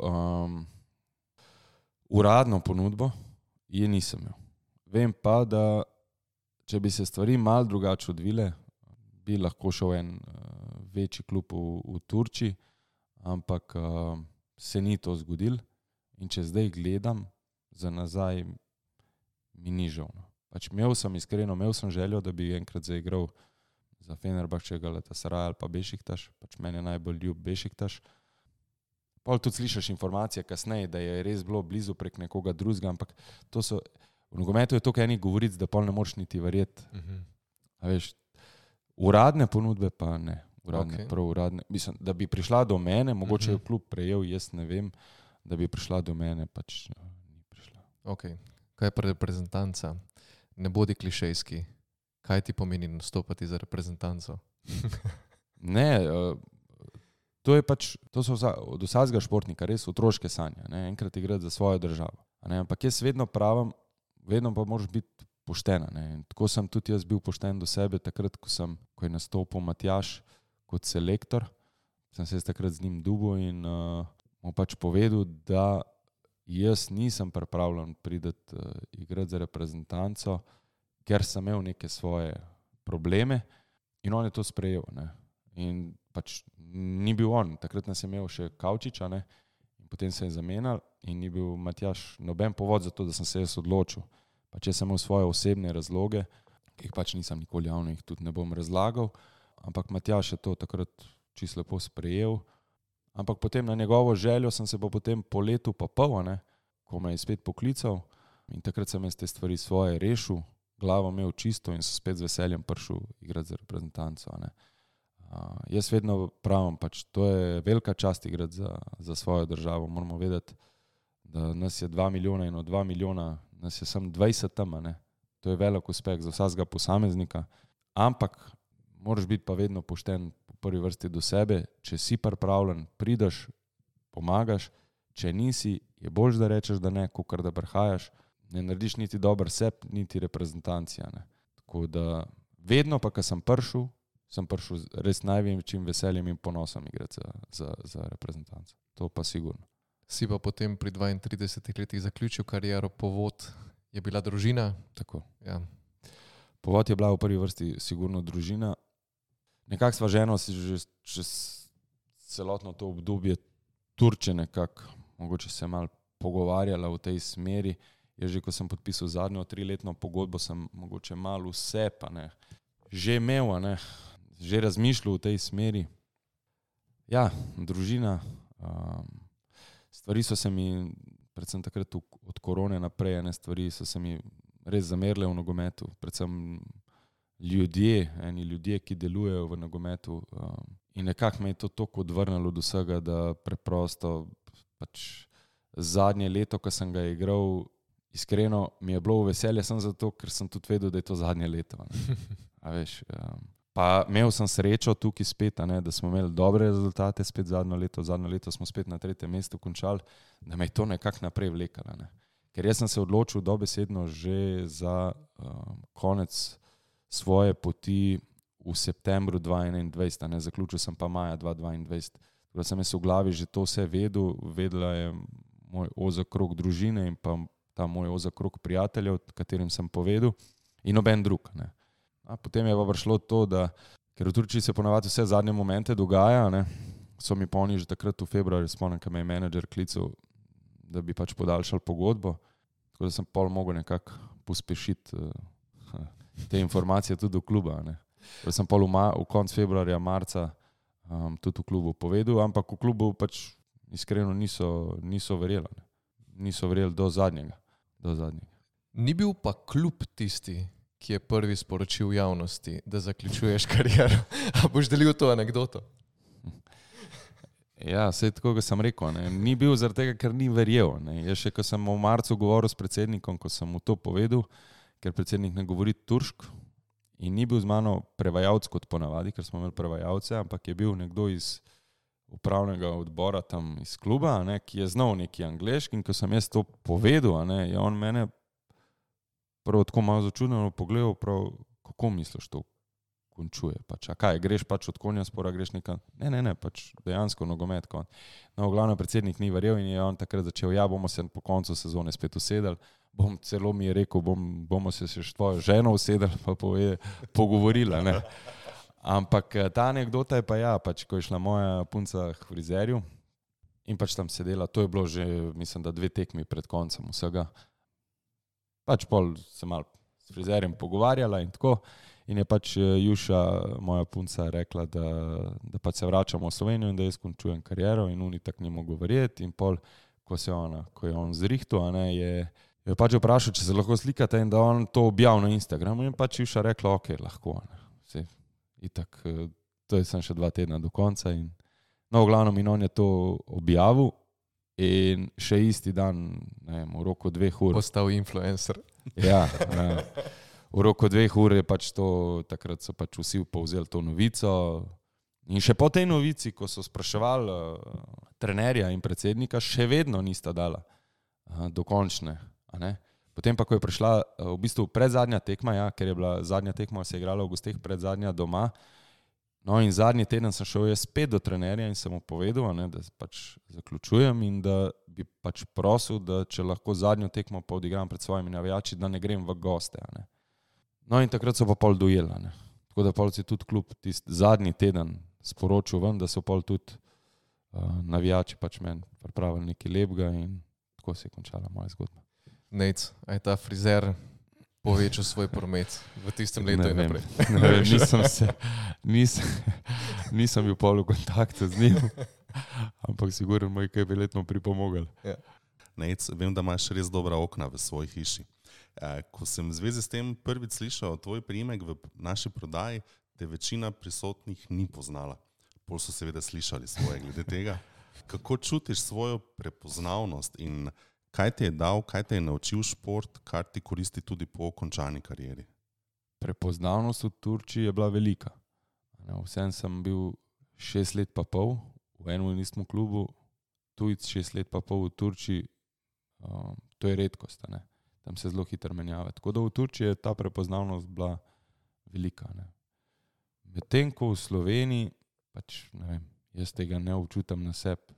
uradno ponudbo, je nisem imel. Vem pa, da če bi se stvari malo drugače odvile, bi lahko šel en večji klub v Turčiji, ampak se ni to zgodilo in če zdaj gledam za nazaj, mi ni žal. Pač imel sem željo, da bi enkrat zaigral za Fenerbahče, Galatasaray ali pa Bešiktaš, pač meni je najbolj ljub Bešiktaš. Pol tudi slišiš informacije kasneje, da je res bilo blizu prek nekoga drugega, ampak to so, v nogometu je toliko enih govoric, da pol ne moreš niti verjeti. A veš, uradne ponudbe pa ne. Prav uradne. Mislim, da bi prišla do mene, mogoče je klub prejel, jaz ne vem, da bi prišla do mene, pač ni prišla. Ok. Kaj je pa reprezentanca? Ne bodi klišejski. Kaj ti pomeni nastopati za reprezentanco? Ne, to je pač, to so od vsakega športnika res otroške sanje, ne, enkrat igrati za svojo državo. Ne, ampak jaz vedno pravim, vedno pa moraš biti poštena. Ne. Tako sem tudi jaz bil pošten do sebe, takrat, ko je nastopil Matjaž kot selektor, sem se takrat z njim dubil in mu pač povedal, da jaz nisem pripravljen priti igrati za reprezentanco, ker sem imel neke svoje probleme in on je to sprejel. Ne. In pač ni bil on, takrat nas je imel še Kavčiča, ne, in potem se je zamenjal in ni bil Matjaž noben povod za to, da sem se jaz odločil. Pač jaz sem imel svoje osebne razloge, ki jih pač nisem nikoli javno, jih tudi ne bom razlagal, ampak Matjaž je to takrat čisto lepo sprejel. Ampak potem na njegovo željo sem se pa potem po letu pa pol, ne, ko me je spet poklical in takrat sem jaz te stvari svoje rešil, glavo imel čisto in sem spet z veseljem prišel igrati za reprezentanco. Ne. Jaz vedno pravim, pač to je velika čast igrati za svojo državo. Moramo vedeti, da nas je 2 milijona in od 2 milijona nas je samo 20 tam, ne. To je velik uspeh za vsakega posameznika, ampak moraš biti pa vedno pošten po prvi vrsti do sebe. Če si pripravljen, prideš, pomagaš, če nisi, je boljš, da rečeš, da ne, kakor da prihajaš, ne narediš niti dober seb, niti reprezentancija. Ne. Tako da vedno pa, ko sem prišel res največjim veseljem in ponosom igrati za reprezentanco. To pa sigurno. Si pa potem pri 32 letih zaključil kariero, povod je bila družina. Tako. Ja. Povod je bila v prvi vrsti sigurno družina. Nekako sva ženo si že čez celotno to obdobje Turčije nekako, mogoče se malo pogovarjala v tej smeri. Jaz že, ko sem podpisal zadnjo 3-letno pogodbo, sem mogoče malo vse, pa ne, že imel, ne, že razmišljal v tej smeri. Ja, družina, stvari so se mi, predvsem takrat od korone naprej, ne, stvari so se mi res zamerile v nogometu, predvsem eni ljudje, ki delujejo v nogometu, in nekako me je to toliko odvrnilo od vsega, da preprosto pač zadnje leto, ko sem ga igral, iskreno mi je bilo veselje sem zato, ker sem tudi vedel, da je to zadnje leto. A veš, pa imel sem srečo tukaj spet, ne, da smo imeli dobre rezultate spet zadnjo leto smo spet na 3. mestu končali, da me je to nekako naprej vlekalo. Ne. Ker jaz sem se odločil dobesedno že za konec svoje poti v septembru 2021, ne, zaključil sem pa maja 2022. Tako da sem jaz v glavi že to vse vedela je moj ozek krog družine in pa ta moj ozek krog prijateljev, katerim sem povedal, in noben drug. Ne. A potem je pa prišlo to, da ker v Turčiji se ponavadi vse zadnje momente dogaja, ne, so mi pa oni že takrat v februarju, spomnim, ko me je menedžer klical, da bi pač podaljšal pogodbo, tako da sem pol mogel nekako pospešiti te informacije tudi v kluba. Ne. Sem pol v konc februarja, marca tudi v klubu povedal, ampak v klubu pač iskreno niso verjeli. Ne. Niso verjeli do zadnjega. Ni bil pa klub tisti, ki je prvi sporočil javnosti, da zaključuješ kariero. A boš delil to anekdoto? Ja, saj tako, kot sem rekel, ne. Ni bil zaradi tega, ker ni verjel. Ne. Jaz še, ko sem v marcu govoril s predsednikom, ko sem mu to povedal, ker predsednik ne govori turško in ni bil z mano prevajalec kot ponavadi, ker smo imeli prevajalce, ampak je bil nekdo iz upravnega odbora tam iz kluba, ne, ki je znal neki angleški, in ko sem jaz to povedal, ne, je on mene prvo tako malo začudeno pogledal, prav, kako misliš to končuje, pač, a kaj, greš pač od konja spora, greš nekam, ne, pač dejansko nogomet. No, glavno predsednik ni verjel in je on takrat začel, ja, bomo se po koncu sezone spet usedali, celo mi je rekel, bomo se še tvojo ženo usedali, pa pogovorila, ne. Ampak ta anekdota je pa ja, pač, ko je šla moja punca k frizerju in pač tam sedela, to je bilo že, mislim, da 2 tekmi pred koncem vsega. Pač pol se malo s frizerjem pogovarjala in tako in je pač Juša, moja punca, rekla, da pač se vračamo v Slovenijo in da jaz končujem kariero in oni tak ni mogel verjeti in pol, ko je on zrihtal, je pač vprašal, če se lahko slikate in da on to objavil na Instagramu in pač Juša rekla, ok, lahko, ne. Itak, to je sem še 2 tedna do konca in no, v glavnem in on je to objavil in še isti dan, ne vem, v roku 2 ur. Postal influencer. Ja, v roku 2 ur je pač to, takrat so pač vsi povzeli to novico in še po tej novici, ko so spraševali trenerja in predsednika, še vedno nista dala dokončne, a ne. Potem pa, ko je prišla v bistvu predzadnja tekma, ja, ker je bila zadnja tekma, se je igrala v gosteh, predzadnja doma. No in zadnji teden sem šel jaz spet do trenerja in sem mu povedal, ne, da pač zaključujem in da bi pač prosil, da če lahko zadnjo tekmo pa odigram pred svojimi navijači, da ne grem v goste. Ne. No in takrat so pa pol dojela. Ne. Tako da pol si tudi klub tisti zadnji teden sporočil ven, da so pol tudi navijači pač meni pripravili nekaj lepega in tako se je končala moja zgodba. Nejc, a je ta frizer povečal svoj promet v tistem letu in naprej? Ne vem, nisem bil pol v kontaktu z njim, ampak sigurno moj kaj bi letno pripomogel. Ja. Nejc, vem, da imaš res dobra okna v svoji hiši. Ko sem v zvezi s tem prvič slišal tvoj priimek v naši prodaji, te večina prisotnih ni poznala. Pol so seveda slišali svoje glede tega. Kako čutiš svojo prepoznavnost in kaj ti je dal, kaj te je naučil šport, kar ti koristi tudi po končani karieri? Prepoznavnost v Turčiji je bila velika. Vsem sem bil 6 let pa pol v enem in istem klubu, tujec 6 let pa pol v Turčiji, to je redkost, ne. Tam se zelo hitro menjava. Tako da v Turčiji je ta prepoznavnost bila velika. Ne. Medtem ko v Sloveniji, pač ne vem, jaz tega ne občutam na sebi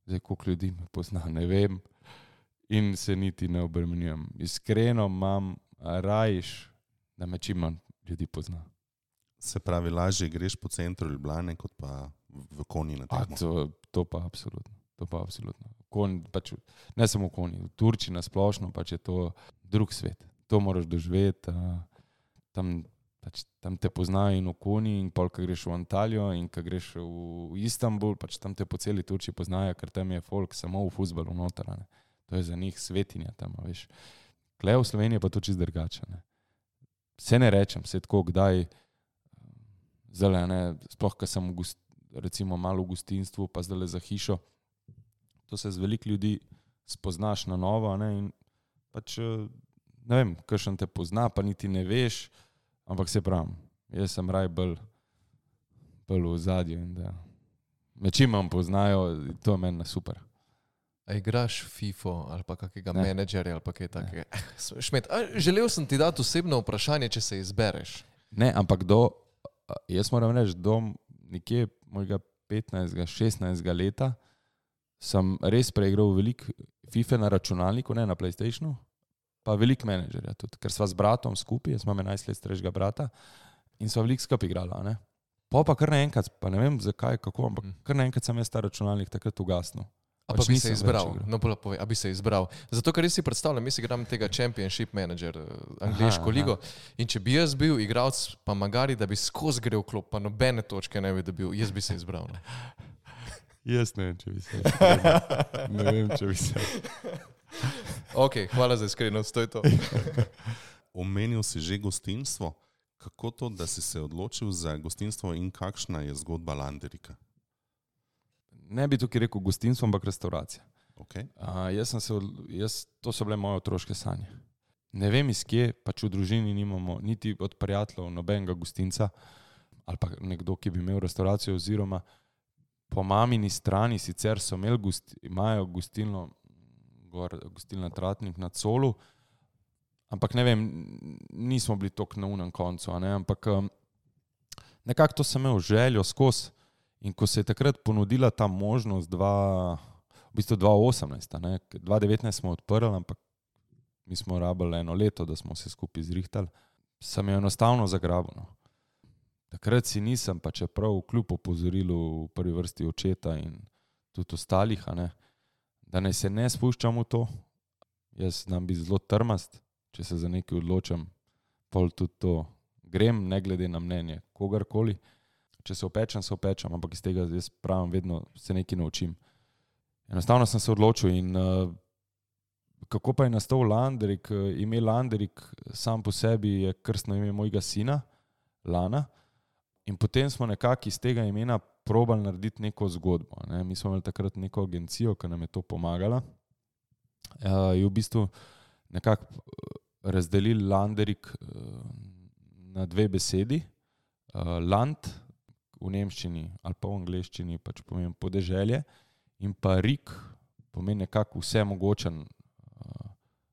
Zdaj, koliko ljudi me pozna, ne vem. In se niti ne obremenjujem. Iskreno imam rajš, da me čim manj ljudi pozna. Se pravi, lažje greš po centru Ljubljane, kot pa v Konji na tekmo. To pa absolutno. Pač, ne samo v Konji, v Turčiji na splošno, pač je to drug svet. To moraš doživeti. Tam te poznajo in v Konji, in pol, ko greš v Antalijo in ko greš v Istanbul, pač tam te po celi Turčiji poznajo, ker tam je folk samo v fuzbalu noter. To je za njih svetinja tam, veš. Kle v Sloveniji pa to čist drugače. Se ne rečem, se tako kdaj zdaj, sploh, ko sem recimo malo v gostinstvu, pa zdaj za hišo, to se z veliko ljudi spoznaš na novo, in pač, ne vem, kakšen te pozna, pa niti ne veš, ampak se pravim, jaz sem raj bolj v ozadju in da me čim manj poznajo, to je meni super. A igraš FIFO ali pa kakega menedžerja ali pa kaj takega? Šmet, želel sem ti dati osebno vprašanje, če se izbereš. Ne, ampak jaz moram reči, do nekje mojega 15-16 leta sem res preigral veliko FIFA na računalniku, ne na PlayStationu, pa veliko menedžerja tudi, ker sva z bratom skupaj, jaz imam 11 let starejšega brata in sva veliko skupaj igrala. Pa kar naenkrat, pa ne vem zakaj, kako, ampak kar naenkrat sem jaz ta računalnik takrat ugasnil. A pa bi se izbral, no bolj povej, a bi se izbral. Zato, ker res si predstavljam, jaz igram tega Championship Manager, angleško ligo, in če bi jaz bil igralec, pa magari, da bi skozi grel klop, pa nobene točke ne bi dobil, jaz bi se izbral. Jaz ne vem, če bi se. Ne vem, če bi se. Ok, hvala za iskrenost, to je to. Omenil si že gostinstvo. Kako to, da si se odločil za gostinstvo in kakšna je zgodba Landerika? Ne bi tukaj rekel gostinstvo, ampak restauracija. Okay. To so bile moje otroške sanje. Ne vem iz kje, pač v družini nimamo niti od prijateljev nobenega gostinca ali pa nekdo, ki bi imel restauracijo, oziroma po mamini strani sicer so imajo gostilno, gostilna Tratnik na Colu, ampak ne vem, nismo bili toliko na unem koncu, ampak nekako to sem imel željo skozi. In ko se je takrat ponudila ta možnost, v bistvu 2018, 2019 smo odprli, ampak mi smo rabili 1 leto, da smo se skupaj zrihtali, sem jo enostavno zagrabil. Takrat si nisem, pa čeprav kljub opozorilu v prvi vrsti očeta in tudi ostalih, da naj se ne spuščam v to. Jaz znam biti zelo trmast, če se za nekaj odločam, pol tudi to grem, ne glede na mnenje kogarkoli. Če se opečem, ampak iz tega jaz pravim, vedno se nekaj naučim. Enostavno sem se odločil in kako pa je nastal Landerik, ime Landerik sam po sebi je krstno ime mojega sina, Lana, in potem smo nekako iz tega imena probali narediti neko zgodbo. Mi smo imeli takrat neko agencijo, ki nam je to pomagala. Je v bistvu nekako razdelili Landerik na 2 besedi. Land v nemščini ali pa v angleščini pač pomeni podeželje in pa Rik pomeni nekako vse mogočen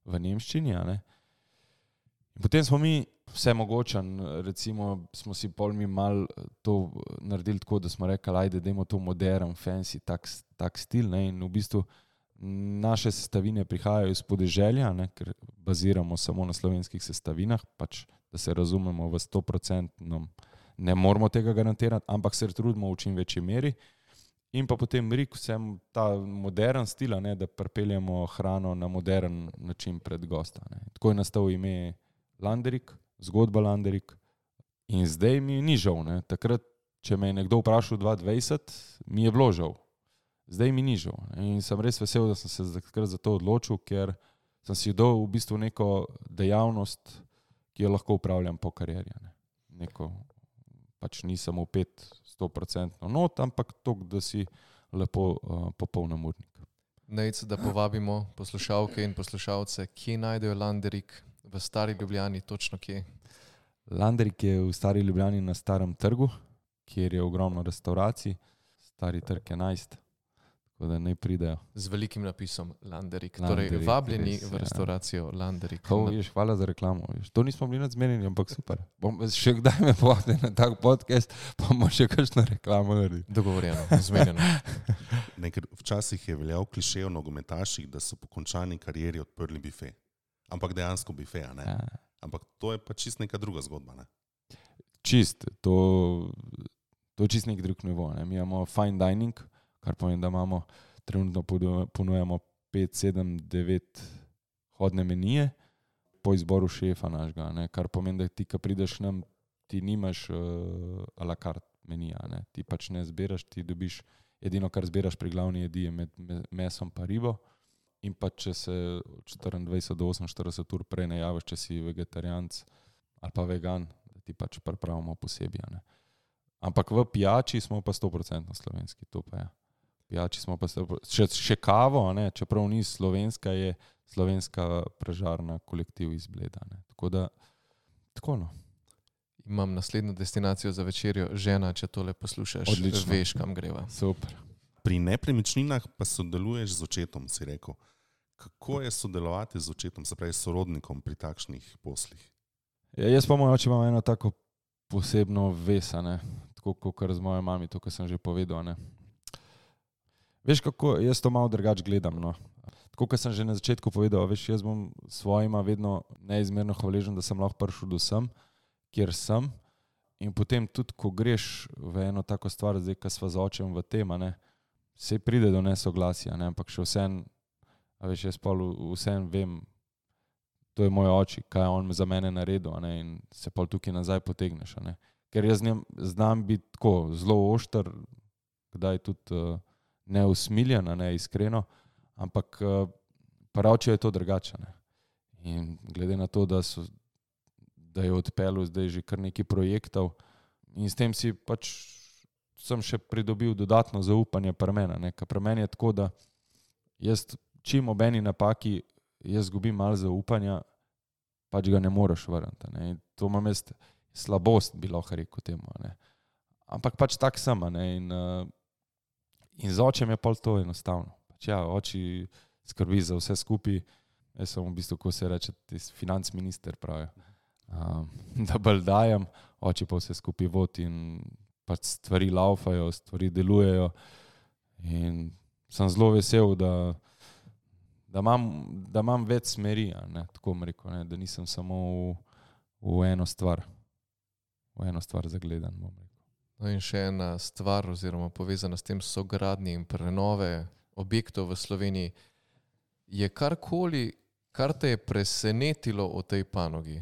v nemščini. In potem smo mi vse mogočen, recimo smo si pol mi mal to naredili tako, da smo rekli, ajde, dajmo to modern, fancy, tak stil, in v bistvu naše sestavine prihajajo iz podeželja, ker baziramo samo na slovenskih sestavinah, pač da se razumemo v 100%, ne moramo tega garantirati, ampak se trudimo v čim večji meri. In pa potem Rik, vsem ta modern stil, da pripeljamo hrano na modern način pred gosta. Tako je nastal ime Landerik, zgodba Landerik. In zdaj mi ni žal. Takrat, če me je nekdo vprašal 2020, mi je bilo žal. Zdaj mi ni žal. In sem res vesel, da sem se takrat za to odločil, ker sem si dal v bistvu neko dejavnost, ki jo lahko upravljam po karieri. Neko pač nisem opet 100% not, ampak toliko, da si lepo popoln urnik. Nejc, da povabimo poslušalke in poslušalce, kje najdejo Landerik v Stari Ljubljani, točno kje? Landerik je v Stari Ljubljani na Starem trgu, kjer je ogromno restauracij, Stari trg 11. Tako da naj pridejo. Z velikim napisom Landerik. Landerik, Torej, vabljeni res, v restauracijo Landerik. Hvala za reklamo. To nismo bili nadzmenjeni, ampak super. Še kdaj me povabite na tak podcast, pa bomo še kakšno reklamo naredili. Dogovorjeno, zmenjeno. Včasih je veljal klišej o nogometaših, da so po končani karieri odprli bife. Ampak dejansko bife, ne? Ja. Ampak to je pa čist neka druga zgodba, ne? Čist, to je čist nek drug nivo. Ne? Mi imamo fine dining, kar pomeni, da imamo trenutno ponujamo 5, 7, 9 hodne menije po izboru šefa našega, ne? Kar pomeni, da ti, ko prideš nam, ti nimaš a la carte menija, ne? Ti pač ne zbiraš, ti dobiš edino, kar zbiraš pri glavni jedi je med mesom pa ribo in pa če se 24 do 48 ur prej ne javiš, če si vegetarijanc ali pa vegan, da ti pač pripravimo posebej, ne? Ampak v pijači smo pa 100% slovenski, to pa je. Pijači smo pa še kavo, ne? Čeprav ni slovenska, je slovenska pražarna kolektiv iz Bleda. Ne? Tako da, tako no. Imam naslednjo destinacijo za večerjo, žena, če tole poslušaš, Odlično. veš, kam greva. Super. Pri nepremičninah pa sodeluješ z očetom, si rekel. Kako je sodelovati z očetom, se pravi sorodnikom pri takšnih poslih? Ja, jaz pa moj oče imam eno tako posebno vesa, ne? Tako kot z mojo mami, to, kar sem že povedal. Ne? Veš kako, jaz to malo drugače gledam, no. Tako, kot sem že na začetku povedal, veš, jaz bom svojima vedno neizmerno hvaležen, da sem lahko prišel do sem, kjer sem. In potem tudi, ko greš v eno tako stvar, zdaj, ko sva z očem v tem, ne, se pride do nesoglasja, ne, ampak še vsem, a veš, jaz pa vsem vem, to je moj oči, kaj je on za mene naredil, ne, in se pa tukaj nazaj potegneš, ne. Ker jaz znam biti tako zelo ošter, kdaj tudi neusmiljen, ne, iskreno, ampak pravijo je to drugače. Ne. In glede na to, da je odpeljal zdaj že kar nekaj projektov in s tem si pač sem še pridobil dodatno zaupanje pri meni, ne. Ker pri meni je tako, da jaz čim ob eni napaki jaz zgubim malo zaupanja, pač ga ne moreš vrniti. Ne. In to imam jaz slabost, bi lahko rekel temu. Ne. Ampak pač tak sem, ne. In z očem je pol to enostavno. Pač ja, oči skrbi za vse skupaj. Jaz sem v bistvu, ko se reče, financ minister pravi. Da bolj dajem, oči pa vse skupaj vodi in pač stvari laufajo, stvari delujejo. In sem zelo vesel, da imam več smeri, ne, tako bom rekel, ne, da nisem samo v eno stvar zagledan, bom rekel. No in še ena stvar, oziroma povezana s tem sogradnje in prenove objektov v Sloveniji, je karkoli, kar te je presenetilo o tej panogi,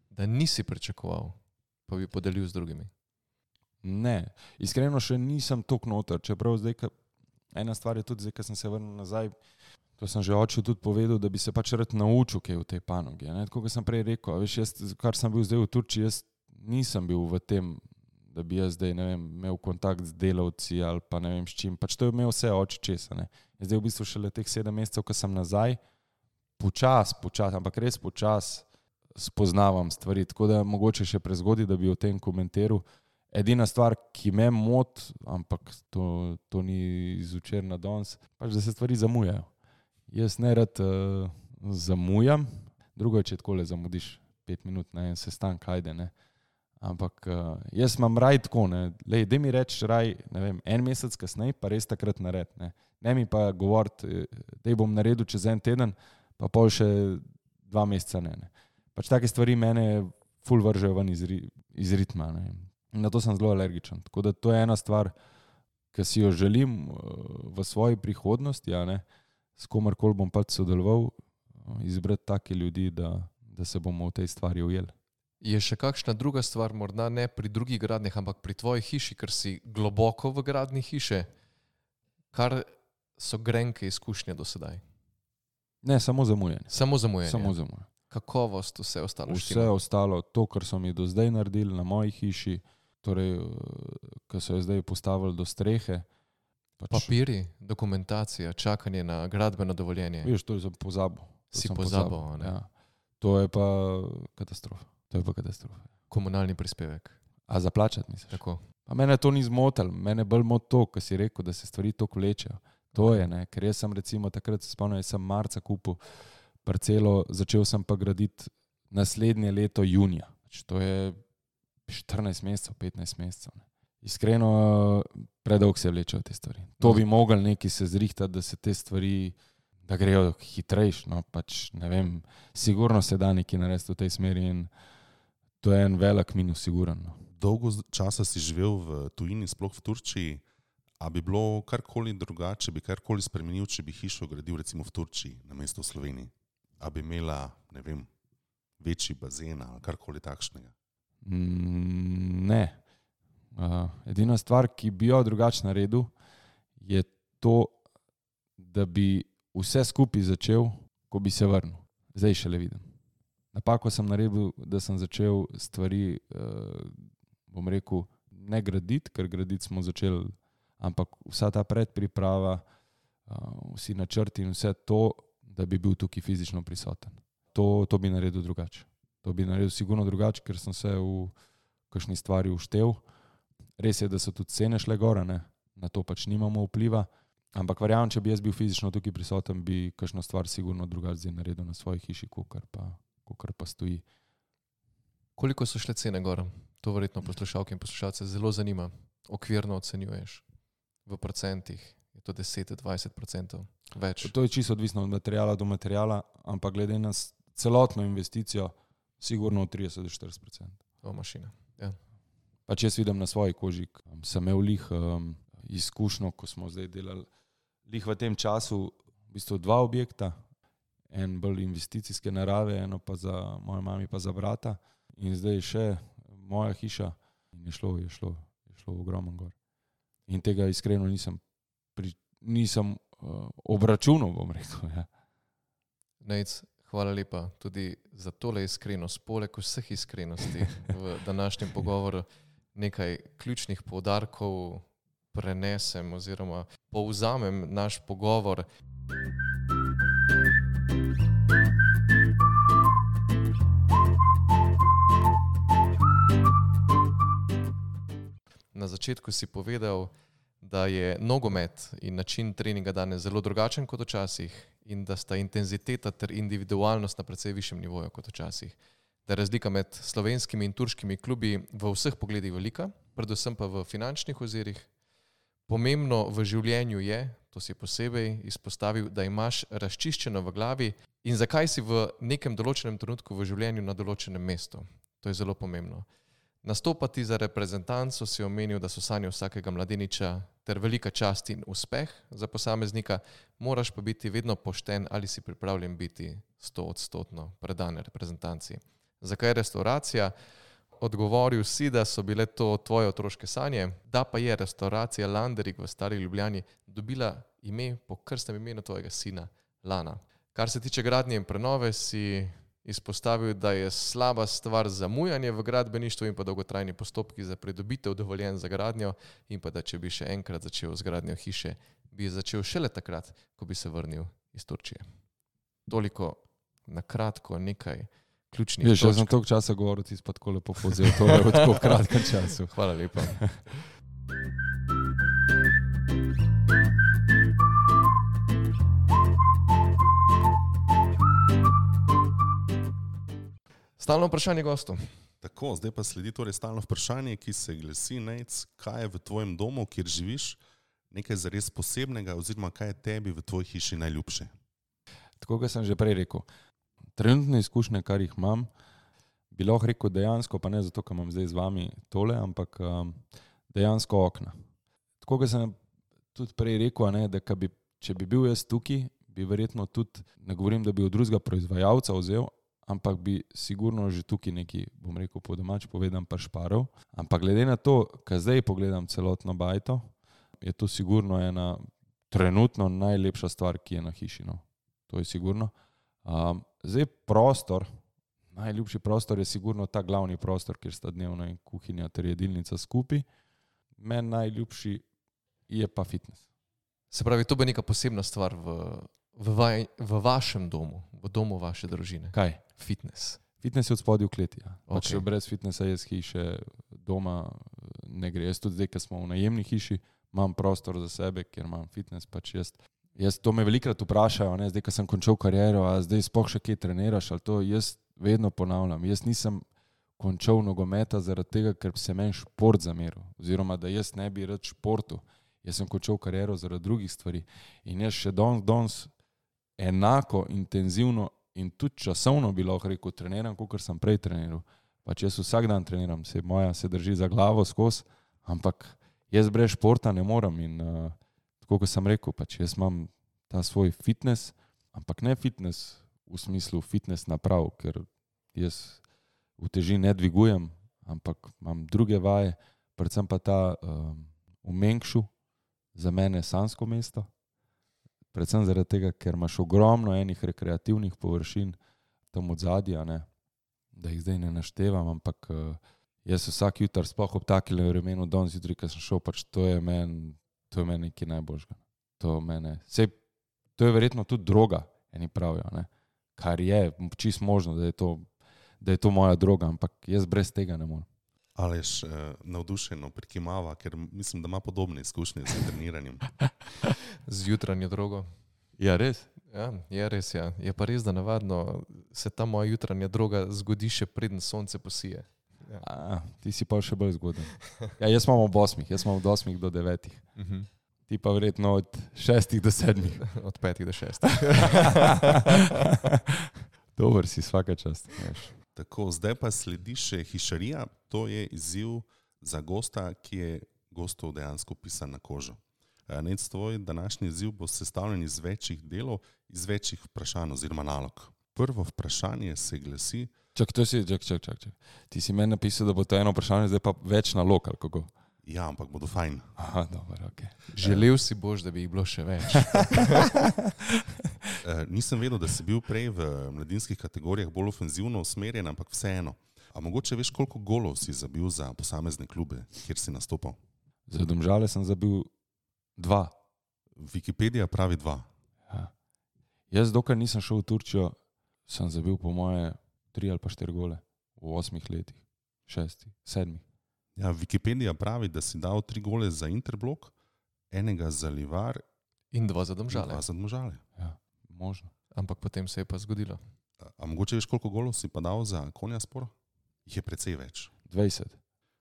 da nisi pričakoval, pa bi podelil z drugimi? Ne, iskreno še nisem toliko noter, čeprav zdaj, ena stvar je tudi zdaj, ko sem se vrnil nazaj, to sem že očil tudi povedal, da bi se pač rad naučil kaj v tej panogi. Ne? Tako, kot sem prej rekel, veš, jaz, kar sem bil zdaj v Turčiji, jaz nisem bil v tem, da bi jaz zdaj, ne vem, imel kontakt z delavci ali pa ne vem s čim. Pač to je imel vse oči česa. Ne? Zdaj v bistvu šele teh 7 mesecev, ko sem nazaj, počas, ampak res počas spoznavam stvari. Tako da mogoče še prezgodi, da bi o tem komentiral. Edina stvar, ki me moti, ampak to ni iz včeraj na danes, pač da se stvari zamujajo. Jaz ne rad zamujam, drugo je, če takole zamudiš 5 minut na en sestanek, ajde, ne. Ampak jaz imam raj tako, ne, lej, daj mi reči raj, ne vem, 1 mesec kasneje, pa res takrat nared, ne. Ne mi pa govoriti, daj bom naredil čez 1 teden, pa pol še 2 meseca ne. Pač take stvari mene ful vržejo ven iz ritma, ne. Na to sem zelo alergičen. Tako da to je ena stvar, ki si jo želim v svoji prihodnosti, ja, ne, s komarkoli bom pač sodeloval, izbrati take ljudi, da se bomo v tej stvari ujeli. Je še kakšna druga stvar, morda ne pri drugih gradnjah, ampak pri tvoji hiši, ker si globoko v gradnji hiše, kar so grenke izkušnje do sedaj? Ne, samo zamujanje. Samo zamujanje. Samo zamujanje. Kakovost, vse ostalo štima? Vse ostalo, to, kar so mi do zdaj naredili na moji hiši, torej, ko so jo zdaj postavili do strehe. Papiri, dokumentacija, čakanje na gradbeno dovoljenje. Veš, to sem pozabil. Si pozabil, ne? Ja. To je pa katastrofa. Komunalni prispevek. A zaplačati misliš? Tako. Pa mene to ni zmotil, mene bolj moti to, ko si rekel, da se stvari toliko vlečejo. To je, ne, ker jaz sem recimo takrat se spomnim, jaz sem marca kupil parcelo, začel sem pa graditi naslednje leto junija. To je 14 mesecev, 15 mesecev. Ne. Iskreno, predolgo se vlečejo te stvari. To bi mogli neki se zrihtati, da se te stvari, da grejo hitrejš, no, pač ne vem, sigurno se da nekaj narediti v tej smeri in to je en velik minus, siguren. No. Dolgo časa si živel v tujini, sploh v Turčiji. A bi bilo karkoli drugače, bi karkoli spremenil, če bi hišo gradil recimo v Turčiji namesto v Sloveniji? A bi imela, ne vem, večji bazen ali karkoli takšnega? Ne. Edina stvar, ki bi jo drugače naredil, je to, da bi vse skupaj začel, ko bi se vrnil. Zdaj šele vidim. Napako sem naredil, da sem začel stvari, bom rekel, ne graditi, ker graditi smo začeli, ampak vsa ta predpriprava, vsi načrti in vse to, da bi bil tukaj fizično prisoten. To bi naredil drugače. To bi naredil sigurno drugače, ker sem se v kakšni stvari uštev. Res je, da so tudi cene šle gora, ne? Na to pač nimamo vpliva, ampak verjamem, če bi jaz bil fizično tukaj prisoten, bi kakšno stvar sigurno drugače zdaj naredil na svoji hiši, kakor pa stoji. Koliko so šle cene gora? To verjetno poslušalke in poslušalce zelo zanima. Okvirno ocenjuješ v procentih. Je to 10-20% več? To je čisto odvisno od materijala do materijala, ampak glede na celotno investicijo, sigurno od 30-40%. O, mašina, ja. Pač jaz vidim na svoji koži, sem imel izkušnjo, ko smo zdaj delali v tem času v bistvu 2 objekta, en bolj investicijske narave, eno pa za mojo mami pa za brata in zdaj še moja hiša in je šlo ogromno gor. In tega iskreno nisem obračunal, bom rekel. Ja. Nejc, hvala lepa tudi za tole iskrenost, poleg vseh iskrenosti v današnjem pogovoru. Nekaj ključnih poudarkov prenesem oziroma povzamem naš pogovor. Na začetku si povedal, da je nogomet in način treninga danes zelo drugačen kot včasih in da sta intenziteta ter individualnost na precej višjem nivoju kot včasih. Da je razlika med slovenskimi in turškimi klubi v vseh pogledih velika, predvsem pa v finančnih ozirih. Pomembno v življenju je, to si posebej izpostavil, da imaš razčiščeno v glavi in zakaj si v nekem določenem trenutku v življenju na določenem mestu. To je zelo pomembno. Nastopati za reprezentanco si omenil, da so sanje vsakega mladeniča ter velika čast in uspeh za posameznika, moraš pa biti vedno pošten ali si pripravljen biti 100% predan reprezentanci. Zakaj restauracija? Odgovoril si, da so bile to tvoje otroške sanje, da pa je restauracija Landerik v Stari Ljubljani dobila ime po krstnem imenu tvojega sina Lana. Kar se tiče gradnje in prenove, si izpostavil, da je slaba stvar zamujanje v gradbeništvu in pa dolgotrajni postopki za pridobitev dovoljenj za gradnjo in pa da če bi še enkrat začel z gradnjo hiše, bi začel šele takrat, ko bi se vrnil iz Turčije. Toliko na kratko nekaj ključnih točk. Jaz sem toliko časa govoril, ti si pa tako lepo povzel tole v tako kratkem času. Hvala lepa. Stalno vprašanje gostov. Tako, zdaj pa sledi torej stalno vprašanje, ki se glasi, Nejc, kaj je v tvojem domu, kjer živiš, nekaj zares posebnega oziroma kaj je tebi v tvoji hiši najljubše? Tako, kot sem že prej rekel, trenutne izkušnje, kar jih imam, bi lahko rekel dejansko, pa ne zato, ker imam zdaj z vami tole, ampak dejansko okna. Tako, kot sem tudi prej rekel, ne, da če bi bil jaz tukaj, bi verjetno tudi, ne govorim, da bi od drugega proizvajalca vzel, ampak bi sigurno že tukaj neki, bom rekel po domač povedan, pršparov. Ampak glede na to, kar zdaj pogledam celotno bajto, je to sigurno ena trenutno najlepša stvar, ki je na hiši. No. To je sigurno. Zdaj prostor, najljubši prostor je sigurno ta glavni prostor, kjer sta dnevna in kuhinja ter jedilnica skupaj. Meni najljubši je pa fitness. Se pravi, to bo neka posebna stvar v vašem domu, v domu vaše družine. Kaj? Fitness. Fitness je od spodaj v kleti. Ja. Okay. Pač brez fitnessa jaz hiše doma ne gre. Jaz tudi zdaj, ko smo v najemni hiši, imam prostor za sebe, kjer imam fitness, pač jaz to me velikrat vprašajo, ne, zdaj, ko sem končal kariero, a zdaj sploh še kje treniraš, ali to jaz vedno ponavljam. Jaz nisem končal nogometa zaradi tega, ker se meni šport zameril, oziroma da jaz ne bi rad športu. Jaz sem končal kariero zaradi drugih stvari in jaz še danes enako intenzivno in tudi časovno bi lahko rekel, treniram, kot sem prej treniral. Pač jaz vsak dan treniram, moja se drži za glavo skozi, ampak jaz brez športa ne morem in tako, kot sem rekel, pač jaz imam ta svoj fitness, ampak ne fitness v smislu fitness naprav, ker jaz uteži ne dvigujem, ampak imam druge vaje, predvsem pa ta v Mengšu, za mene sansko mesto, predvsem zaradi tega, ker imaš ogromno enih rekreativnih površin tam od zadja, ne, da jih zdaj ne naštevam, ampak jaz vsak jutar, sploh ob takile vremenu, danes jutri, ko sem šel, pač to je meni nekaj najboljšega. To je verjetno tudi droga, eni pravijo, ne, kar je čisto možno, da je to moja droga, ampak jaz brez tega ne morem. Aleš navdušeno prikimava, ker mislim, da ima podobne izkušnje z treniranjem. Z jutranjo drogo. Ja, res? Ja, je res, ja. Je pa res, da navadno se ta moja jutranja droga zgodi še preden sonce posije. Ja. Ti si pa še bolj zgoden. Ja, jaz imam od 8 do 9. Ti pa verjetno od 6 do 7. Od 5 do 6. Dober si, svaka čast. Tako, zdaj pa sledi še hišarija, to je izziv za gosta, ki je gostov dejansko pisan na kožo. Nec, tvoj današnji izziv bo sestavljen iz večjih delov, iz večjih vprašanj oziroma nalog. Prvo vprašanje se glasi... Čak. Ti si meni napisal, da bo to eno vprašanje, zdaj pa več nalog, ali kako? Ja, ampak bodo fajn. Aha, dobro, okej. Želel si boš, da bi jih bilo še več. Nisem vedel, da si bil prej v mladinskih kategorijah bolj ofenzivno usmerjen, ampak vseeno. A mogoče veš, koliko golov si zabil za posamezne klube, kjer si nastopal? Za Domžale sem zabil 2. Wikipedija pravi 2. Ja. Jaz, dokaj nisem šel v Turčijo, sem zabil po moje 3 ali pa 4 gole v 8 letih, 6, 7. Ja, Wikipedija pravi, da si dal 3 gole za Interblok, 1 za Livar in 2 za Domžale. Ja, možno. Ampak potem se je pa zgodilo. A mogoče veš, koliko golov si pa dal za Konjaspor? Jih je precej več. 20.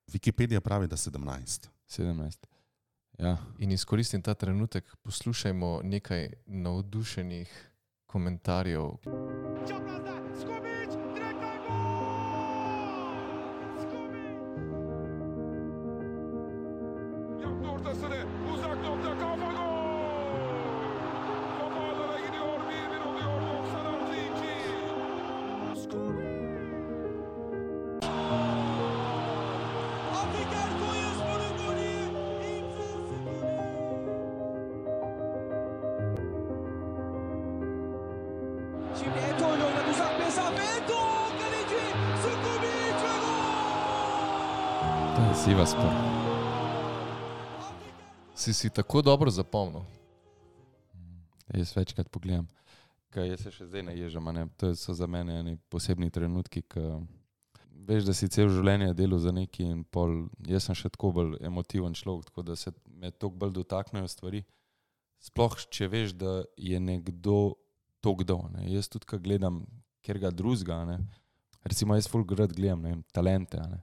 Wikipedija pravi, da 17. Ja. In izkoristim ta trenutek, poslušajmo nekaj navdušenih komentarjev. Sivaspor. Si tako dobro zapomnil? Jaz večkrat pogledam, kaj jaz se še zdaj naježam, ne? To so za mene eni posebni trenutki, ki veš, da si cel življenje delal za neki in pol, jaz sem še tako bolj emotiven človek, tako da se me toliko bolj dotaknejo stvari. Sploh, če veš, da je nekdo to kdo, ne? Jaz tudi, ko gledam kjerga drugega, ne? Recimo jaz ful rad gledam, ne vem, talente, ne?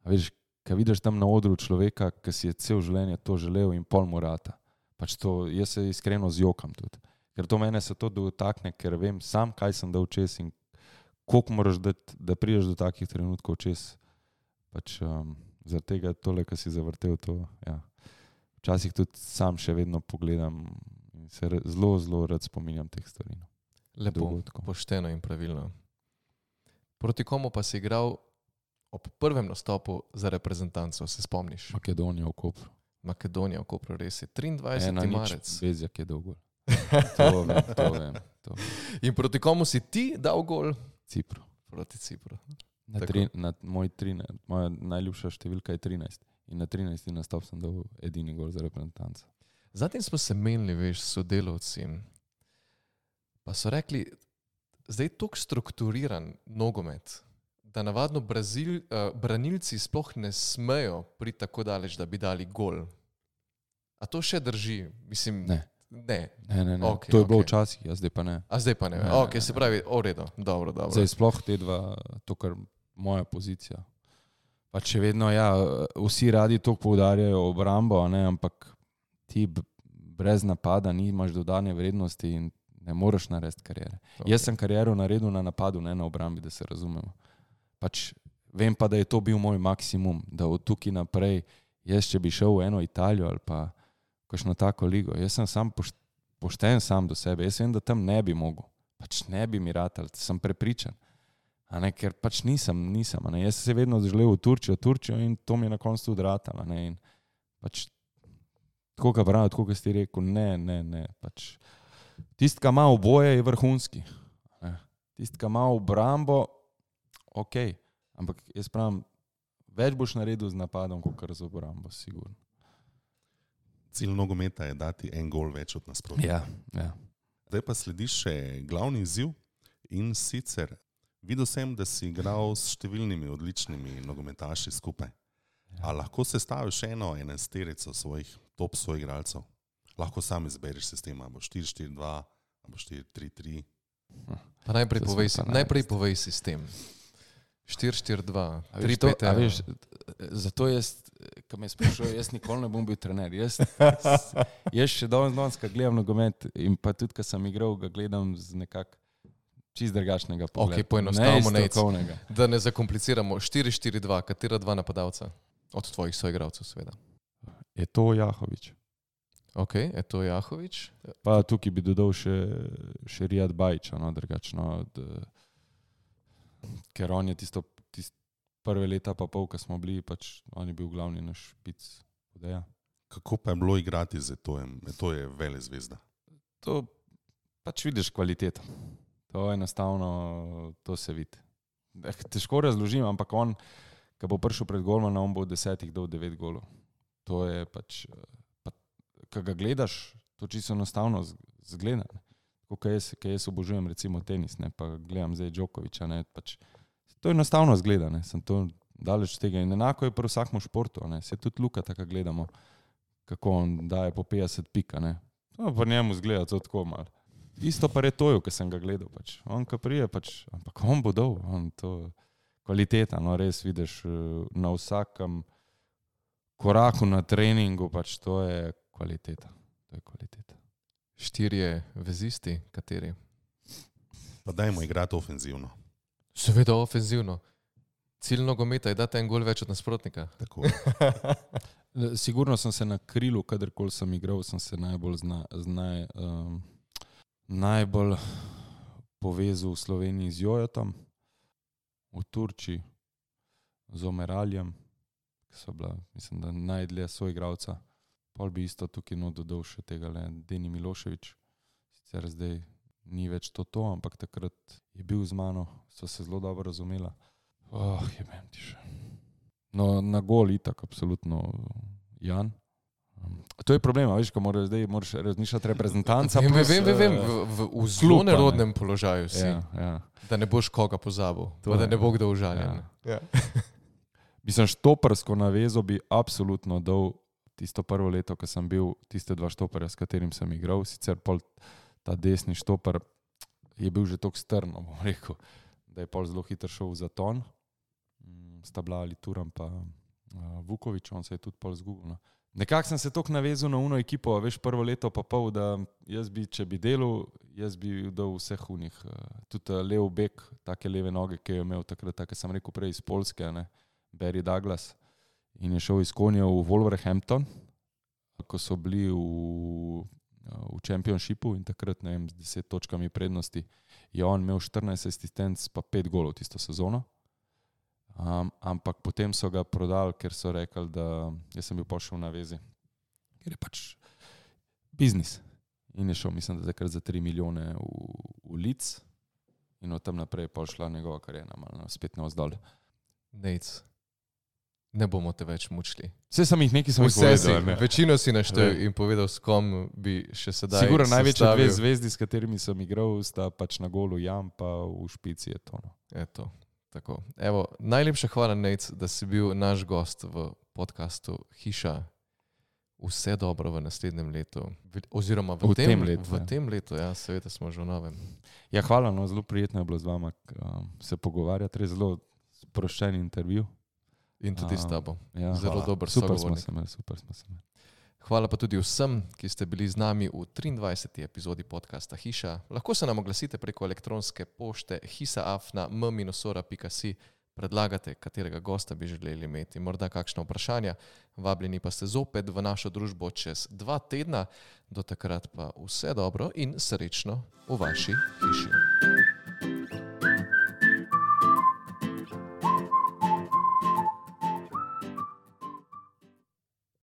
A veš, ko vidiš tam na odru človeka, ki si je cel življenje to želel in pol mu rata. Pač to, jaz se iskreno zjokam tudi. Ker to mene se to dotakne, ker vem sam, kaj sem dal čez in koliko moraš dati, da prideš do takih trenutkov čez. Pač zaradi tega tole, ko si zavrtel to, ja. Včasih tudi sam še vedno pogledam in se zelo, zelo rad spominjam teh stvari. No. Lepo, pošteno in pravilno. Proti komu pa si igral ob prvem nastopu za reprezentanco, se spomniš? Makedonija v Kopru. Makedonija v Kopru, res je. 23. marec. Bezjak je dal gol. To vem. In proti komu si ti dal gol? Cipru. Proti Cipru. Moja najljubša številka je 13. In na 13. nastop sem dal edini gol za reprezentanco. Zatem smo se menili, veš, s sodelavci. Pa so rekli, zdaj je toliko strukturiran nogomet, da navadno branilci sploh ne smejo priti tako daleč, da bi dali gol. A to še drži? Mislim, Ne. Ne. Okay, to je bilo včasih, zdaj pa ne. A zdaj pa ne. Se pravi, redo. Dobro. Zdaj sploh te dva, to kar moja pozicija. Pa če vedno, vsi radi to poudarjajo obrambo, ne, ampak ti brez napada nimaš dodane vrednosti in ne moreš narediti karijere. Jaz sem kariero naredil na napadu, ne na obrambi, da se razumemo. Vem pa, da je to bil moj maksimum, da od tukaj naprej, jaz če bi šel v eno Italijo ali pa kakšno tako ligo, jaz sem sam pošten sam do sebe, jaz vem, da tam ne bi mogel, ne bi mi ratal, sem prepričan, ker nisem, jaz sem se vedno želel v Turčijo in to mi je na koncu tudi ratalo, in tako ga pravi, tako ga si rekel, ne, tisti, ki ima oboje, je vrhunski, tisti, ki ima obrambo, ok, ampak jaz pravim, več boš naredil z napadom, kot z obrambo, sigurno. Cilj nogometa je dati en gol več od nasprotnika. Ja. Zdaj pa sledi še glavni izziv in sicer videl sem, da si igral s številnimi odličnimi nogometaši skupaj. A lahko sestaviš eno enajsterico svojih top soigralcev? Lahko sam izbereš sistem, ali bo 4-4-2, ali bo 4-3-3. Pa najprej povej sistem. 4-4-2, 3-5-1. Zato jaz, ko me sprašujejo, jaz nikoli ne bom bil trener. Jaz še danes, ko gledam nogomet in pa tudi, ko sem igral, ga gledam z nekako čist drugačnega pogleda. Ok, poenostavimo, da ne zakompliciramo. 4-4-2, katera dva napadalca? Od tvojih soigralcev, seveda. Je to Jahović. Ok, je to Jahović. Pa tukaj bi dodal še Rijad Bajića, drugačno. Ker on je tisto prve leta pa pol, ko smo bili, on je bil glavni naš špic. Kako pa je bilo igrati z Etojem? Eto je velezvezda. To vidiš kvaliteto. To enostavno, to se vidi. Težko razložim, ampak on, ko bo prišel pred golmana, on bo od 10 dal 9 golov. To je ko ga gledaš, to čisto enostavno zgleda. Ko jaz obožujem recimo tenis, ne, pa gledam zdaj Djokovića, ne, to enostavno zgleda, ne, sem to daleč tega in enako je pri vsakem športu, ne, se tudi Luka tako gledamo, kako on daje po 50 pika, ne, to pa njemu zgleda to tako malo. Isto pa Retoju, ko sem ga gledal, on ko prije, ampak on bo dal, on to kvaliteta, no, res vidiš na vsakem koraku na treningu, to je kvaliteta, to je kvaliteta. 4 vezisti, kateri? Pa dajmo igrati ofenzivno. Seveda ofenzivno. Cilj nogometa je dati en gol več od nasprotnika. Tako. Sigurno sem se na krilu, kadarkoli sem igral, sem se najbolj povezal v Sloveniji z Jojotom, v Turčiji z Omeraljem, ki so bila, mislim, da najdlje soigralca. Pol bi isto tukaj dodal še tega Deni Milošević. Sicer zdaj ni več to, ampak takrat je bil z mano, so se zelo dobro razumela. Jebem ti še. No, na gol itak, absolutno Jan. To je problem, veš, ko moraš razmišljati reprezentanca. Vem, v zelo nerodnem položaju si, da ne boš koga pozabil, da ne bo kdo užaljen. Mislim, štopersko navezo bi absolutno dal tisto prvo leto, ko sem bil, tiste 2 štoperja, s katerim sem igral, sicer pol ta desni štoper je bil že toliko strno, bom rekel, da je pol zelo hitro šel v zaton. Sta bila ali Turan pa Vuković, on se je tudi pol zgubil. No. Nekako sem se toliko navezal na uno ekipo, veš, prvo leto pa pol, da jaz bi, če bi delal, jaz bi dal vseh unih. Tudi lev bek, take leve noge, ki je imel takrat, tako sem rekel prej iz Poljske, ne, Barry Douglas. In je šel iz Konja v Wolverhampton, ko so bili v Championshipu in takrat, ne vem, z 10 točkami prednosti, je on imel 14 asistenc pa 5 golov tisto sezono. Ampak potem so ga prodali, ker so rekli, da jaz sem bil pošel na vezi, ker je biznis. In je šel, mislim, da takrat za 3 milijone v Leeds in od tam naprej je šla njegova karijera, malo spet navzdol. Nejc. Ne bomo te več mučili. Vse sem jih povedal. Večino si naštel in povedal, s kom bi še sedaj sigurno največje 2 zvezdi, s katerimi sem igral, sta na golu Jan, pa v špici je to. Eto, tako. Evo, najlepša hvala, Nejc, da si bil naš gost v podcastu Hiša. Vse dobro v naslednjem letu, oziroma v tem letu, ja, seveda smo že v novem. Ja, hvala, no, zelo prijetno je bilo z vama se pogovarjati, res zelo sproščen intervju. In tudi s tabo. Ja, zelo hvala. dober Super sogovornik. super smo se imeli. Hvala pa tudi vsem, ki ste bili z nami v 23. epizodi podcasta Hiša. Lahko se nam oglasite preko elektronske pošte hisaafna.m-ora.si. Predlagate, katerega gosta bi želeli imeti, morda kakšna vprašanja. Vabljeni pa ste zopet v našo družbo čez 2 tedna. Do takrat pa vse dobro in srečno v vaši hiši.